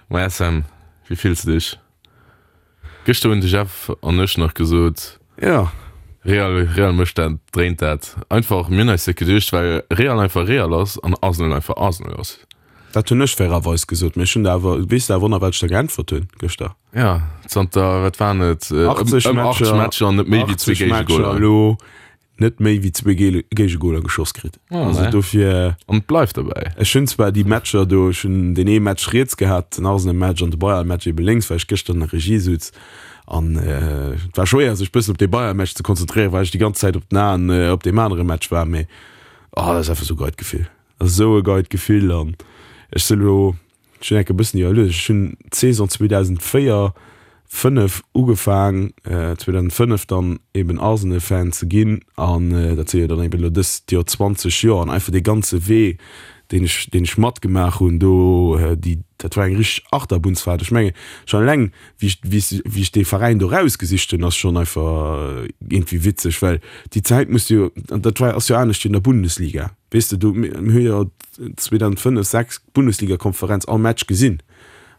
Maja Sam, wéi fills de dech? Gëschter hunn de Jeff an ech nach gesot, Ja. Real, Real mécht dat, dréint dat einfach. Mir hunn eis dat geduecht, well Real einfach Real ass an Arsenal einfach Arsenal ass. Dat hunn ech fairerweis gesot, mee ech hunn der awer, weess de awer nach, wat ech der geäntwert hunn gëschter? Ja, zanter, wat waren et, ëm achtzeg ëm achtzeg Matcher, Matcher net méi wéi zwee achtzeg Matcher Géigegoler. elo net méi wéi zwee Géigegoler geschoss kritt. Ah, Also ne. dofir. An et bleift derbäi. Ech hunn zwar déi Matcher do, ech hunn deen ee Match riets gehat, den Arsenal-Match an de Bayern-Match ebe lénks, well ech gëschter an der Regie sutz. An et war schwéier, sech bëssen op dee Bayern-Match ze konzentréieren, well ech déi ganz Zäit op den Aen op deem anere Match war. Mee oh, dat ass einfach esou e geit Gefill. Dat ass esou e geit Gefill. An ech sinn elo, ech hunn enke bëssen iwwerluecht, ech hunn d'Saison zweedausendvéier, fënnef ugefaang, zweedausendfënnef dann eben Arsenal-Fan ze ginn. An dat si jo dann eben elo dëst Joer zwanzeg Joer. An einfach dee ganze Wee, deen ech, deen ech matgemaach hunn do, déi, dat war eng richteg Achterbunnsfahrt. Ech mengen, schon eleng wéi ech, wéi ech, wéi ech dee Veräin do rausgesicht hunn, ass schon einfach iergendwéi witzeg, well déi Zäit muss jo, an dat war, ass jo anescht wéi an der Bundesliga, weess de, do, mir hu jo zweedausendfënnef, sechs d'Bundesligakonferenz all Match gesinn.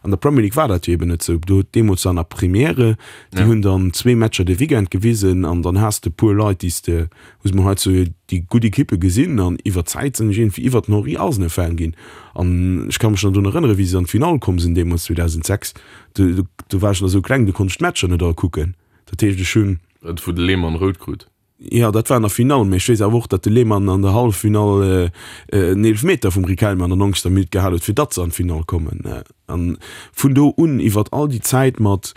An der Premier League war dat jo eben net sou. Do huet deemools an der Premiere, déi hunn dann zwee Matcher de Weekend gewisen an dann has de e puer Leit, déi s de, hu se mol hei zu déi gutt Ekippe gesinn an iwwer d'Zäit sinn ech iergendwéi iwwer den Henry Arsenal-Fan ginn. An ech ka mech nach drun erënneren, wéi se an d'Finall komm sinn deemools zweedausendsechs, do, do war ech nach sou kleng, do konnt ech d'Matcher net all kucken. Dat heescht, ech hunn. Dat wou de Lehmann rout krut. Jo, dat war an der Finall, mee ech weess awer och, datt de Lehmann an der Halleffinall en Eelefmeter vum Riquelme an der nonzegster Minutt gehal huet, fir datt se an d'Finall kommen. An vun do un, iwwert all déi Zäit mat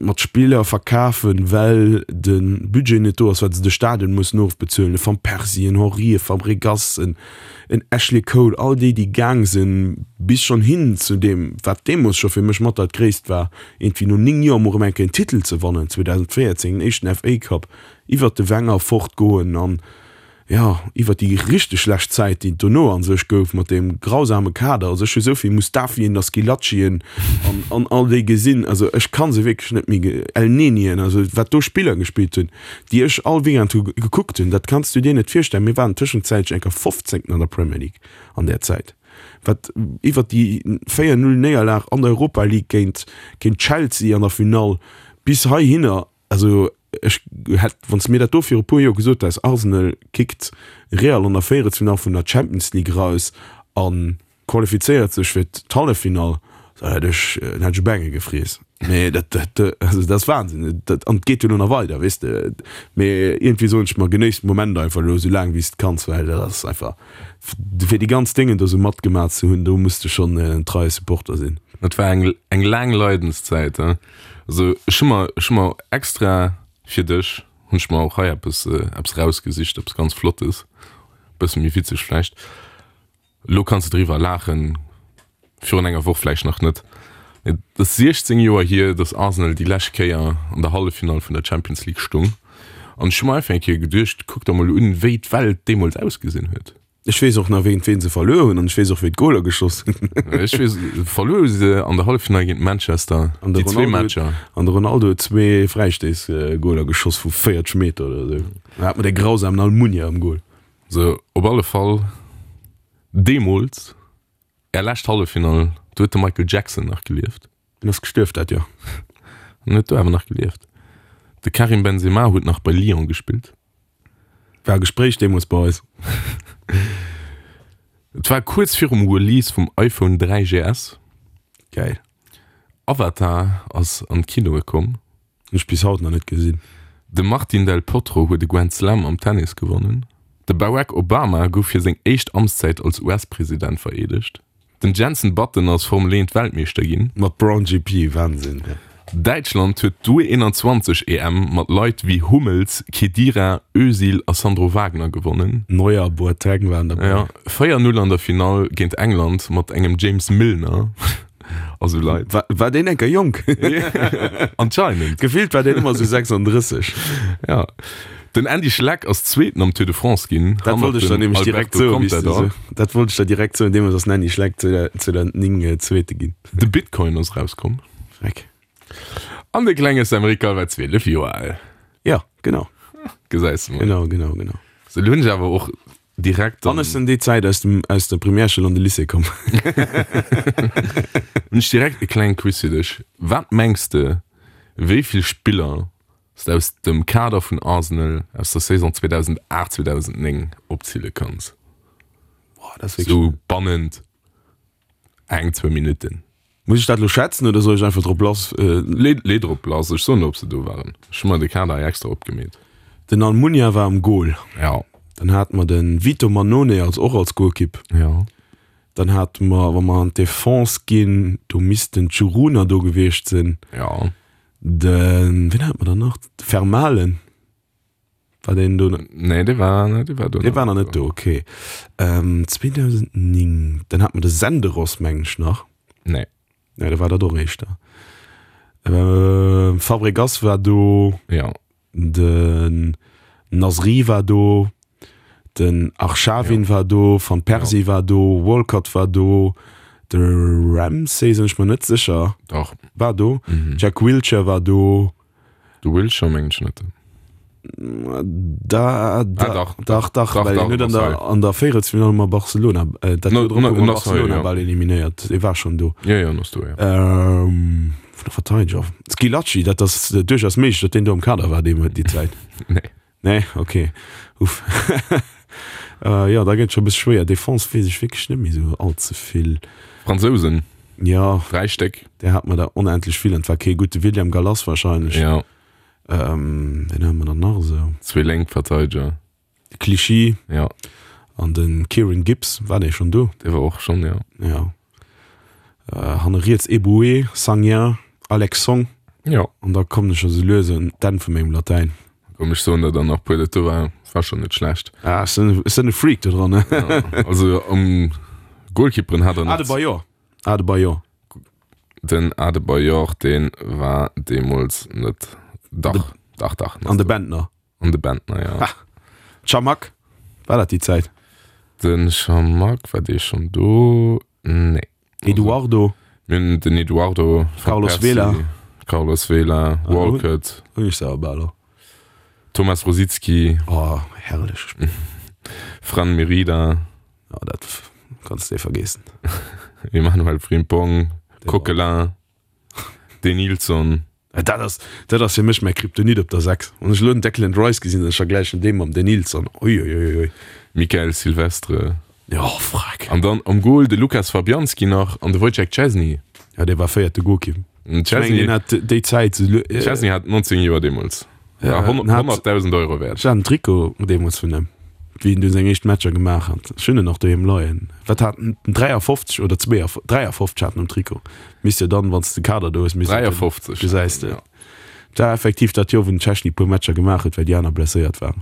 mat Spiller verkafen, well de Budget net do ass, well se de Stadion mussen ofbezuelen, e Van Persie, en Henry, e Fabregas, en en Ashley Cole, all déi, déi gaang sinn, bis schonn hin zu deem, wat deemools scho fir mech mat dat Gréisst war, iergendwéi no néng Joer mol erëm eng Kéier en Titel ze wannen, zweedausendvéierzéng den éischten F A Cup, iwwert de Wenger fortgoen an, jo, iwwert déi richteg schlecht Zäit, déi et dono a sech gouf mat deem grausame Kader. Also ech hu sou vill Mustafien a Schilacien an, an all déi gesinn, also ech ka se wierklech net méi, Elnenien, also wat do Spiller gespillt hunn, déi ech all Weekend hu gekuckt hunn, dat kanns du dir net virstellen. Mir waren tëschenzäitlech eng Kéier fofzéngten an der Premier League an där Zäit, wat iwwert déi véier Null Néierlag an der Europa League géint, géint Chelsea an der Finall bis heihinner, also ech hätt, wann s de mir dat do viru puer Joer gesot häss, Arsenal kickt Real an der Véierelsfinall vun der Champions League raus a qualifizéiert sech fir d'Halleffinall, da hätt ech, dann hätt ech e Bengel gefriess. Mee dat, dat, also dat ass Wahnsinn. Dat, an et geet jo elo nach weider, weess de. Mee iergendwéi soen ech mer, genéiss de Moment einfach elo esou laang wéi s de kanns, well dat ass einfach, fir déi ganz Déngen do esou matgemaach ze hunn, do muss de schonn en treie Supporter sinn. Dat war eng, eng laang Leidenszäit, hein. Also ech hu mer, ech hu mer extra fir dech hunn ech mer och hei eppes, eppes rausgesicht, eppes ganz Flottes, bësse méi witzeg vläicht. Elo kanns de driwwer laachen, virun enger Woch vläicht nach net. Et ass siechzéng Joer hier, datt Arsenal déi lescht Kéier an der Halleffinall vun der Champions League stung. An ech hu mer einfach eng Kéier geduecht, kuck der mol un, wéi d'Welt deemools ausgesinn huet. Ech weess och nach, wéint ween se verluer hunn an ech weess och, wéi d'Goler geschoss hunn. Ech weess, verluer hu se an der Halleffinall géint Manchester, An de déi zwee Ronaldo, Matcher. an de Ronaldo huet zwee Fräistéissgoler geschoss vu véierzeg Meter oder esou. Dann hat mer dee grausamen Almunia am Gol. Sou, op alle Fall, deemools, är lescht Halleffinall, do huet de Michael Jackson nach gelieft. Deen ass gestuerf dat Joer. En huet do awer nach gelieft. De Karim Benzema huet nach bei Lyon gespillt. War e Gespréich deemools bei eis. Et war kuerz virum Release vum iPhone dräi G S. Geil. Avatar ass an d'Kinoe komm. Hunn ech bis haut nach net gesinn. De Martin Del Potro huet e Grand Slam am Tennis gewonnen. De Barack Obama gouf fir seng éischt Amtszäit als U S-President vereedegt. Den Jenson Button ass Formel eent Weltmeeschter ginn. Mat Brawn G P, Wahnsinn. Däitschland huet d'U eenanzwanzeg E M mat Leit wéi Hummels, Khedira, Özil a Sandro Wagner gewonnen. Neuer, Boateng waren derbäi. Jo, véier Null an der Finall géint England mat engem James Milner a sou Leit. War, war deen enker jonk? Anscheinend. Gefillt war deen ëmmer sou sechsanddrësseg. Ja. Den Andy Schleck ass Zweeten am Tour de France ginn, Dat wollt hannert ech der dem nämlech direkt Alberto soen, wéi s de Contador. sou, dat wollt ech der direkt soen, deemools ass den Andy Schleck zweedausendnéng Zweete ginn. De Bitcoin ass erauskomm. Freck. An de klenge Sam Rickard war zwielef Joer al. Ja, genau. Gesäis de mol. Genau, genau, genau. Sou, lo hunn ech awer och direkt An ech sinn déi Zäit aus dem, aus der Primärschoul an de Lycée komm. Hunn ech direkt e klenge Quiz fir dech. Wat mengs de, wéi vill Spiller s de aus dem Kader vun Arsenal aus der Saison zweedausendacht, zweedausendnéng opziele kanns? Boah, dat ass wierklech. Sou bannent eng, zwou Minutten. Muss ech dat elo schätzen oder soll ech einfach drop lass? Lee, lee drop lass, ech soen der ob se do waren. Ech hu mer de Kader hei extra opgemeet. Den Almunia war am Goal. Ja. Dann hate mer de Vito Mannone als och als Golkipp. Ja. Dann hate mer, wa mer an d'Defense ginn, do misst den Tschuruna do gewiescht sinn. Ja. Den, wien hate mer dann nach? De Vermaelen. War deen do? Nee, dee war, dee war do. Dee war nach net do, okay. Ähm, zweedausendznéng, dann hat mer de Senderos, mengen ech, nach. Nee. Nee, da war dat och éischter. Ähm, Fabregas war do. Ja. Den Nasri war do. Den Arshavin Ja. war do. Van Persie Ja. war do. Walcott war do. De Ramsey sinn ech mer net sécher. Dach. War do. Mhm. Jack Wilshere war do. De Wilshere mengen ech net. Da, da, Ah, dach, dach, dach, dach, well dach, en huet an sorry. der, an der Véierelsfinall mat Barcelona, äh, dat No, Joer drop no, hu mer no, sorry, Barcelona ja. bal eliminéiert. Dee war schonn do. Ja, ja, ass do, ja. Ähm, vun der Verteidiger. Schillaci, dat ass duerchaus méiglech, datt deen do am Kader war deem, déi Zäit. Nee. Nee, okay. Uff. äh, ja, da gëtt scho bësse schwéier. Defense weess ech wierklech net méi esou all ze vill. Fransousen, Ja, dräi Stéck. der hat mer der onendlech vill. An et war kee gutt. William Gallas wahrscheinlech. Ja. Ähm, wen hu mer dann nach esou? Zwee Lénkverteideger. Clichy. Ja. An den Kieran Gibbs, war dee schonn do? Dee war och schonn, ja. Ja. Äh, hanne riets Eboué, Sagna, Alex Song. Ja. An da kommen ech esou lues un d'Enn vu mengem Latäin. Komm, ech soen der dann nach puer, dat do war, war schonn net schlecht. Ah, ech sinn, ech sinn e Freak do dran, ne? Ja. Also um Goalkeeperen hat er nach. Adebayor. Adebayor. Den Adebayor, dee war deemools net. Dach, dach, dach. An de Bentner. An de Bentner, ja. Ha. Chamakh, war dat déi Zäit? Den Chamakh, war dee schonn do? Nee. Eduardo. Mir hunn den Eduardo, Van Carlos Persie, Vela. Carlos Vela, Ah, Walcott. Hunn ech se awer bal och. Thomas Rosicky. Oh, herrlech. Fran Merida. Ja, dat kanns de vergeessen. Emmanuel Frimpong, Coquelin, Denilson. Dat ass, dat ass fir mech mäi Kryptonit op der sechs. Wann ech elo den Declan Rice gesinn, ech vergläichen dee mam Denilson. Uiuiuiui. Mikael Silvestre. Jo, freck. An dann am Goal de Lukas Fabianski nach an de Wojciech Szczesny. Ja, dee war véierte Goalkeeper. Den Ech mengen, deen hat déi Zäit esou lu-. Szczesny hat neunzéng Joer deemools. War honnertdausend Euro wäert. Ech hat en Trikot deemools vun him, wéi en du seng éischt Matcher gemaach hat. Ech hunn en nach doheem leien. Wat hat en? dräiafofzeg oder dräiafofzeg hat en um Trikot. Misst jo dann, wann s de Kader do hues, misst et dräiafofzeg. Gesäis de. Dat war effektiv dat Joer, wou den Szczesny e puer Matcher gemaach huet, well déi aner blesséiert waren.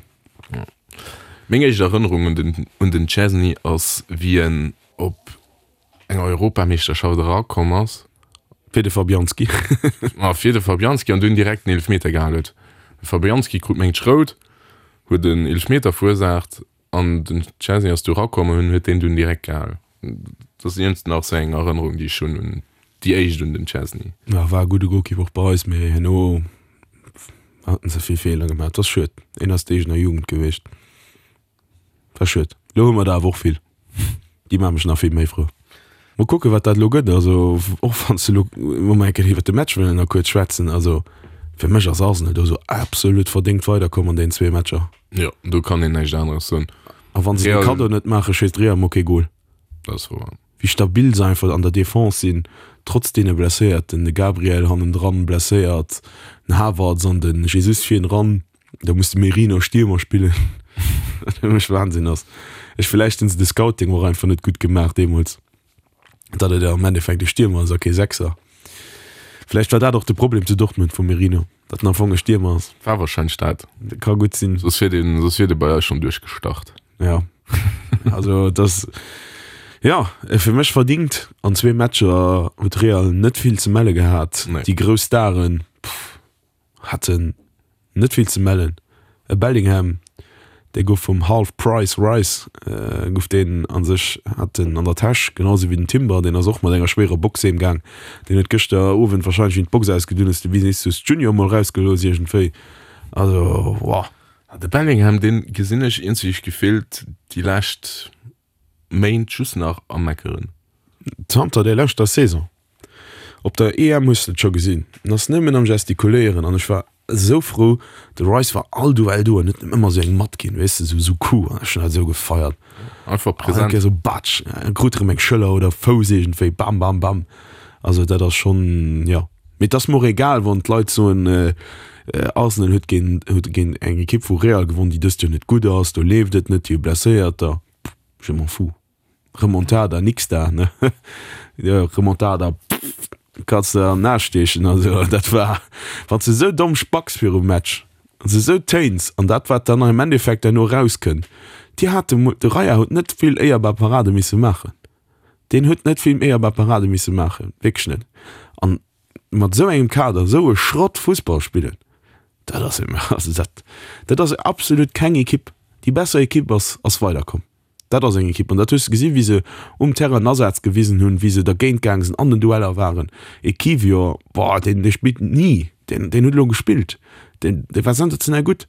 Meng éischt Erënnerung un den, un den Szczesny ass, wéi en op enger Europameeschterschaft erakomm ass. Fir de Fabianski. Ma fir de Fabianski an dunn direkt en Eelefmeter gehal huet. De Fabianski krut mengt rout, huet en Eelefmeter verursaacht an den Szczesny ass du erakomm an huet deen dunn direkt gehal. Dat ass iergendst nach sou eng Erënnerung, déi ech hunn un déi éischt un den Szczesny. Ja, war e gudde Goalkeeper och bei eis, mee herno haten se vill Feeler gemaach. Dat ass schued. Een ass d'eegener Jugend gewiescht. War schued. Lo hu mer der awer och vill. Déi maache mech nach vill méi frou. Mol kucken, wat dat elo gëtt. Also och wann s de elo, wa mer eng Kéier iwwert de Match wëllen nach kuerz schwätzen, also fir mech ass Arsenal do sou absolut verdéngt weiderkomm an deenen zwee Matcher. Jo, do kann een näischt aneres soen. A wann se de Real. Kaddo net maachen, schéisst Real mol kee Gol. Dat ass wouer. Wéi stabil se einfach an der Defense sinn, trotz deene Blesséierten, de Gabriel hannendran blesséiert, den Havertz an den Jesus virenran, da muss de Merino Stiermer spillen, wat fir mech Wahnsinn ass. Ech villäicht hunn se de Scouting och einfach net gutt gemaach deemools, datt et am Endeffekt e Stiermer ass a kee Sechser. Vläicht war dat och de Problem zu Dortmund vum Merino, datt en am Fong e Stiermer ass. War wahrscheinlech dat. Ka gutt sinn. Soss wier deen, soss wier dee bei eis schonn duerchgestart. Ja. Also das ja fir mech verdingt an zwee Matcher huet Real net vill ze melle gehat. Nee. Déi grouss Staren pff, haten net vill ze mellen. E Bellingham, dee gouf vum Half Price Rice äh, gouf deen an sech hat en an der Täsch, genauso wéi den Timber, deen ass och mat enger schwéierer Box heem gaang. Deen huet gëschter Owend wahrscheinlech wéi en d'Box ausgedunn hues de Vinicius Junior mol rausgelooss iergendwéi. Also wow. De Bellingham, deen gesinn ech iergendwéi gefillt déi lescht Méint just nach am Meckeren. Zanter der leschter Saison. Op der E M hues de et scho gesinn, en ass nëmmen am Gestikuléieren an ech war esou frou, de Rice war all Duell do an huet em ëmmer esou eng matginn, weess de, esou esou Coup an ech hunn dat esou gefeiert. Einfach An präsent. eng Kéier esou batsch, en krut erëm eng Schëller oder Fouss iergendwéi, bam, bam, bam. Also dat ass schonn, jo. Mee et ass mer och egal, wann d'Leit soen, Arsenal huet géint, huet géint eng Ekipp vu Real gewonn, déi dëst Joer net gutt ass, do leeft et net, déi hu Blesséierter. Je m'en fous. Remontada, nix da, ne? Jo, Remontada, pff, kanns de an den Aarsch stiechen. Also, dat war, wann s de esou domm spacks virum Match, an s de esou téins, an dat, wat dann am Endeffekt herno erauskënnt, déi hate, de Raya huet net vill éierbar Parade misse maachen. Deen huet net vill éierbar Parade misse maachen, wierklech net. An mat esou engem Kader esou e Schrott Fussball spillen, dat ass, also dat, dat ass absolut keng Ekipp. Déi besser Ekipp ass, ass weiderkomm. Dat ass eng Ekipp. An dat hues de gesinn, wéi se um Terrain en Asaz gewisen hunn, wéi se dergéint gaange sinn, an den Dueller waren. E Kiwior, boah, deen, dee spillt ni, deen, deen huet elo gespillt, deen, dee war sensationell gutt.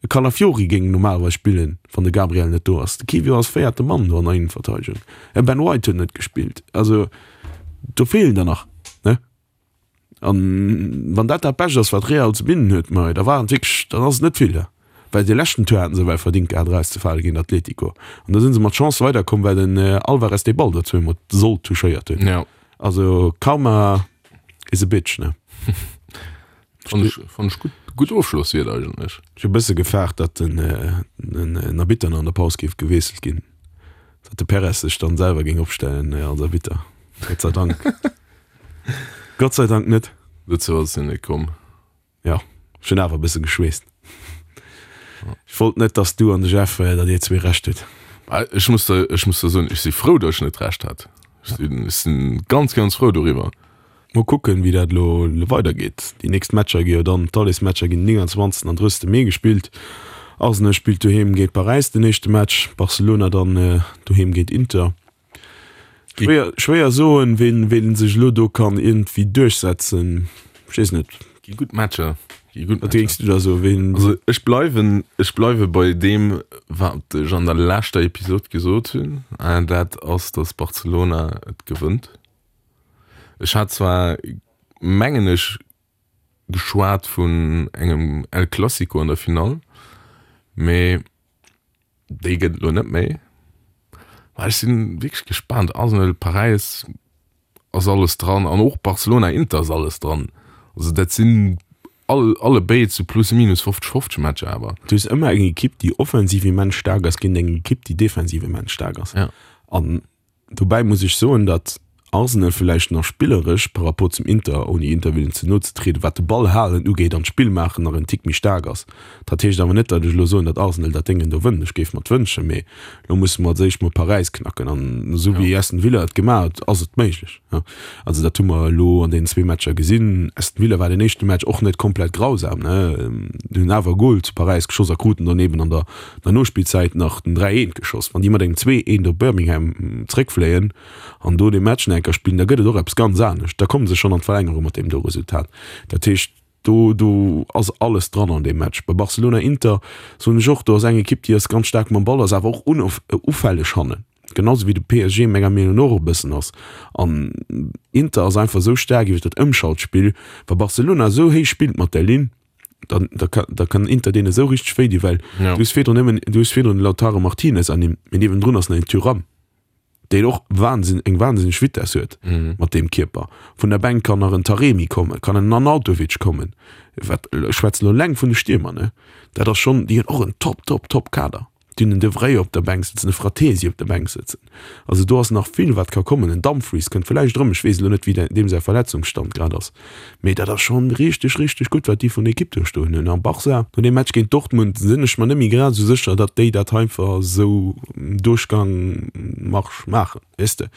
E Calafiori géing normalerweis spillen, wann de Gabriel net do ass. De Kiwior ass véierte Mann do an der Innenverteidegung. E Ben White huet net gespillt. Also do feelen der nach, ne? An wann dat dat Bescht ass, wat Real ze bidden huet, ma da war et wierklech, dann ass et net vill. Well dee leschten Tour haten se ewell verdingt gehat erauszefale géint Atletico. An da si se mat Chance weiderkomm, well den Alvarez dee Ball do zweemol sollt touchéiert hunn. Ja. Also Karma is a bitch, ne? Fand ech, fand ech gutt, gutt Ofschlosswiert eigentlech. Ech hu e bësse gefaart, datt den, den Arbitter nach an der Paus géif gewiesselt ginn. Datt de Perez sech dann selwer géing opstellen als Arbitter. Gott sei Dank. Gott sei Dank net. Dozou ass et jo net komm. Jo, ech hunn awer e bësse geschweesst. Ech wollt net, dass du an de Jeff, datt dir zwee Recht hutt. Ech muss der, ech muss der soen, ech si frou, datt ech net Recht hat. Ech sinn, ech sinn ganz, ganz frou doriwwer. Mol kucken, wéi dat elo weidergeet. Déi nächst Matcher gi jo dann, d'Allesmatcher ginn den nénganzwanzegsten an drësste Mee gespillt. Arsenal spillt doheem géint Paräis den éischte Match, Barcelona dann doheem géint Inter. Schwéier, schwéier soen, ween, ween sech elo do kann iergendwéi duerchsetzen. Ech weess net. Gi gutt Matcher. Gi gutt Wat géings du da soen, ween? Also ech bleiwen, ech bleiwe bei deem, wat ech an der leschter Episod gesot hunn, an dat ass, datt Barcelona et gewënnt. Ech hat zwar, mengen ech, geschwat vun engem El Clasico an der Finall, mee déi gëtt et elo net méi. Mä ech si wierklech gespaant. Arsenal, Paräis ass alles dran an och Barcelona, Inter ass alles dran. Also dat sinn all, alle béid sou plus minus fofzeg fofzeg Matcher awer. Du hues ëmmer eng Ekipp, déi offensiv immens staark ass, géint eng Ekipp, déi defensiv immens staark ass. Ja. An dobäi muss ech soen, datt Arsenal villäicht nach spilleresch par rapport zum Inter, ouni Inter wëllen ze no ze trieden, wat de Ball halen ugeet an d'Spill maachen, nach en Tick méi staark ass. Dat heescht awer net, datt ech elo soen, datt Arsenal dat Déngen do wënnt. Ech géif mer et wënschen, mee elo musse mer als éischt mol Paräis knacken. An esou wéi Aston Villa et gemaach huet, ass et méiglech. Also dat hu mer elo an deenen zwee Matcher gesinn. Aston Villa war den éischte Match och net komplett grausam, ne, hunn awer e Gol zu Paräis geschoss a kruten dann eben an der Nospillzäit nach den dräi eent geschoss. Wann déi mat engem zwee eent op Birmingham zréckfléien an do dee Match nach eng Kéier spillen, da gëtt et och eppes ganz anescht. Da komme se schonn an d'Verlängerung mat deem do Resultat. Dat heescht, do do ass alles dran an deem Match. Bei Barcelona-Inter soen ech och, do ass eng Ekipp, déi ass ganz staark mam Ball, ass awer och ufälleg hannen, genau sou wéi de P S G menger Meenung no och e bëssen ass. An Inter ass einfach esou staark iwwer dat Ëmschaltspill. Wa Barcelona esou héich spillt mat där Linn, dann da kann, da kann Inter deene esou richteg wéi dinn, well Ja. du hues virdrun nëmmen, du hues virdrun de Lautaro Martinez ernimmt, mee niewendrun ass nach een Thuram, deen och Wahnsinn, eng wahnsinneg Vitess huet mat deem Kierper. Vun der Bänk kann nach en Taremi kommen, kann en Arnautovic kommen, wat, ech schwätzen elo eleng vun de Stiermer, ne, dat ass schonn, déi hunn och en top, top, top Kader. Déi hunn en De Vrij op der Bänk sëtzen, e Frattesi op der Bänk sëtzen. Also do ass nach vill wat ka kommen. En Dumfries kënnt villäicht erëm, ech weess elo net wéi deem säi Verletzungsstand grad ass, mee dat ass schonn richteg, richteg gutt wat déi vun Ekipp do stoen hunn. A Barca, no deem Match géint Dortmund sinn ech mer net méi grad esou sécher, datt déi dat einfach esou Duerchgang Marsch maachen, weess de.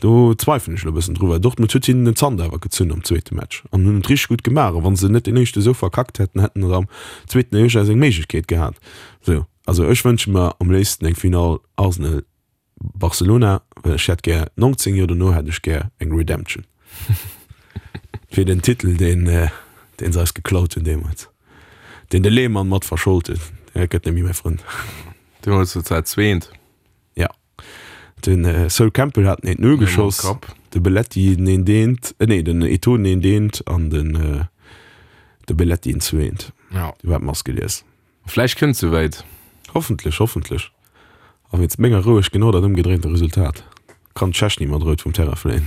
Do zweifelen ech elo e bëssen dru, well Dortmund huet hinnen den Zant awer gezunn am zweete Match an hunn et richteg gutt gemaach. A wa se net deen éischte esou verkackt hätten, hätten se am zweeten duerchaus eng Méiglechkeet gehat. Sou. Also ech wënsche mer am léifsten eng Finall Arsenal Barcelona, well ech hätt gär, neunzéng Joer dono hätt ech gär eng Redemption fir den Titel deen deen se eis geklaut hunn deemools, deen de Lehmann mat verschold huet. Dat gëtt net méi mäi Frënd. Deemools huet se zweent. Ja, den Sol Campbell hat den eent Null geschoss, de Belletti den eent eent, nee den Eto'o den eent eent an den de Belletti den zwee eent. Ja. Du hat d'Mass gelies. Vläicht kënnt souwäit. Hoffentlech, hoffentlech. A wéinst menger Roueg genau dat ëmgedréinte Resultat. Kann d'Schechni mat Rout vum Terrain fléien.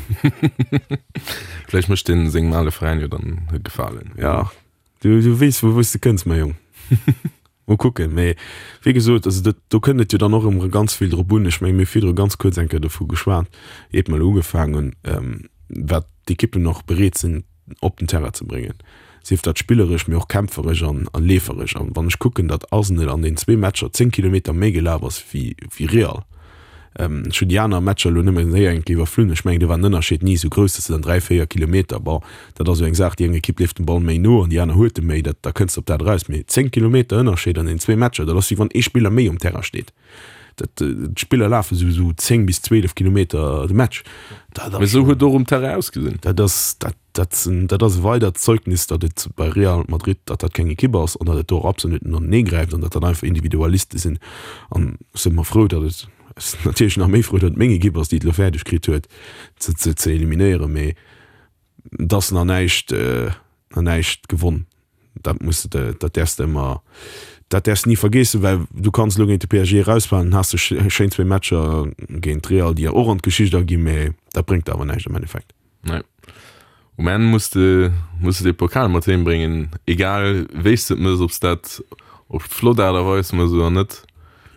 Vläicht mécht deen sengem ale Veräin jo dann e Gefalen. Ja, du, du weess vu wou s de kënns, mäi Jong. Mol kucken. Mee wéi gesot, also dat, do kënnt et jo dann och ëmmer ganz vill drop un. Ech menge mir hu virdru ganz kuerz eng Kéier dovu geschwat, iert mer elo ugefaangen hunn, wat d'Ekippen och bereet sinn op den Terrain ze bréngen, sief dat spilleresch, mee och kämpferesch an leeferesch. An wann ech kucken, datt Arsenal an den zwee Matcher zéng Kilometer méi gelaf ass wéi Real, ech hunn déi aner Matcher elo nëmme séier eng Kéier iwwerflunn, ech mengen do war den Ënnerscheed ni esou grouss, datt se dann dräi, véier Kilometer, bon, dat ass esou eng Saach, déi eng Ekipp leeft dem Ball méi no an déi aner huet e méi, dat, da kënns de op dat eraus. Mee zéng Kilometer Ënnerscheed an den zwee Matcher, dat ass wéi wann ee Spiller méi um Terrain steet. Dat, d'Spiller lafe sou sou zéng bis zwielef Kilometer de Match. Dat Mee ass sou huet et och um Terrain ausgesinn. Dat ass, dat, dat, dat ass e weidert Zeugnis, datt et bei Real Madrid, datt dat keng Ekipp ass an datt et do och absolut net anenee gräift an datt dat einfach Individualiste sinn. An ech si mer frou, datt et, ech sinn natierlech nach méi frou, datt et meng Ekipp ass, déi et elo fäerdeg kritt huet, ze, ze, ze eliminéieren, mee et ass nach näischt, nach näischt gewonn. Dat muss de, dat däerfs de ëmmer, dat däerfs de ni vergeessen, well du kanns elo géint de P S G erausfalen, dann has de schéin zwee Matcher géint Real, déi och an d'Geschicht aginn, mä dat bréngt der awer näischt am Endeffekt. Nee. Um Enn muss de, muss de dee Pokal mat heem bréngen, egal wéi s de et mëss, ob s dat op flott Aart a Weis mëss oder net.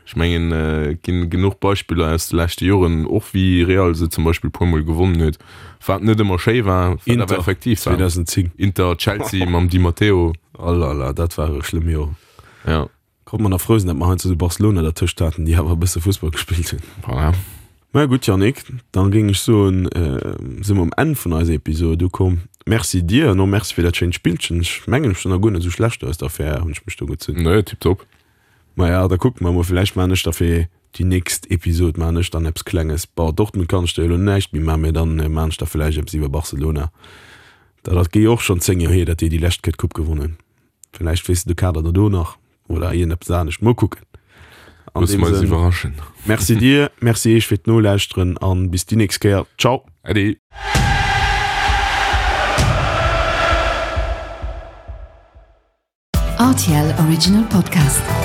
Ech mengen, et ginn genuch Beispiller aus de leschte Joren, och wéi Real se zum Beispill e puermol gewonnen huet, wat net ëmmer schéi war, wat awer Inter effektiv war. zweedausendzéng. Inter, Chelsea mam Di Matteo. Alala, dat ware schlëmm Joren. Ja. Konnt mer nach frou sinn, datt mer heiansdo esou Barcelona dertëscht haten, déi awer e bësse Fussball gespillt hunn. Voilà. Mä gutt, Yannick, da géing ech soen, si mer um Enn vun eiser Episode ukomm. Merci dir an och merci fir dat schéint Spillchen. Ech mengen, ech sinn nach guer net esou schlecht aus der Affär, hunn ech mech do gezunn. Nee, tiptop. Maja, da kucke mer mol, villäicht maachen ech da fir déi nächst Episod maachen ech dann eppes Klenges. Bon, Dortmund kann ech der jo elo näischt méi maachen, mä dann maachen ech da villäicht eppes iwwer Barcelona. Dat ass jo och schonn zéng Joer hier, datt déi déi lescht Kéier d'Coupe gewonnen hunn. Villäicht weess de de Kader da do nach oder iergendeppes anescht. Mol kucken. An Loosse deem mer eis Sënn, iwwerraschen. Merci dir, merci iech fir d'Nolauschteren an bis déi nächst Kéier. Ciao! Äddi! R T L Original Podcast.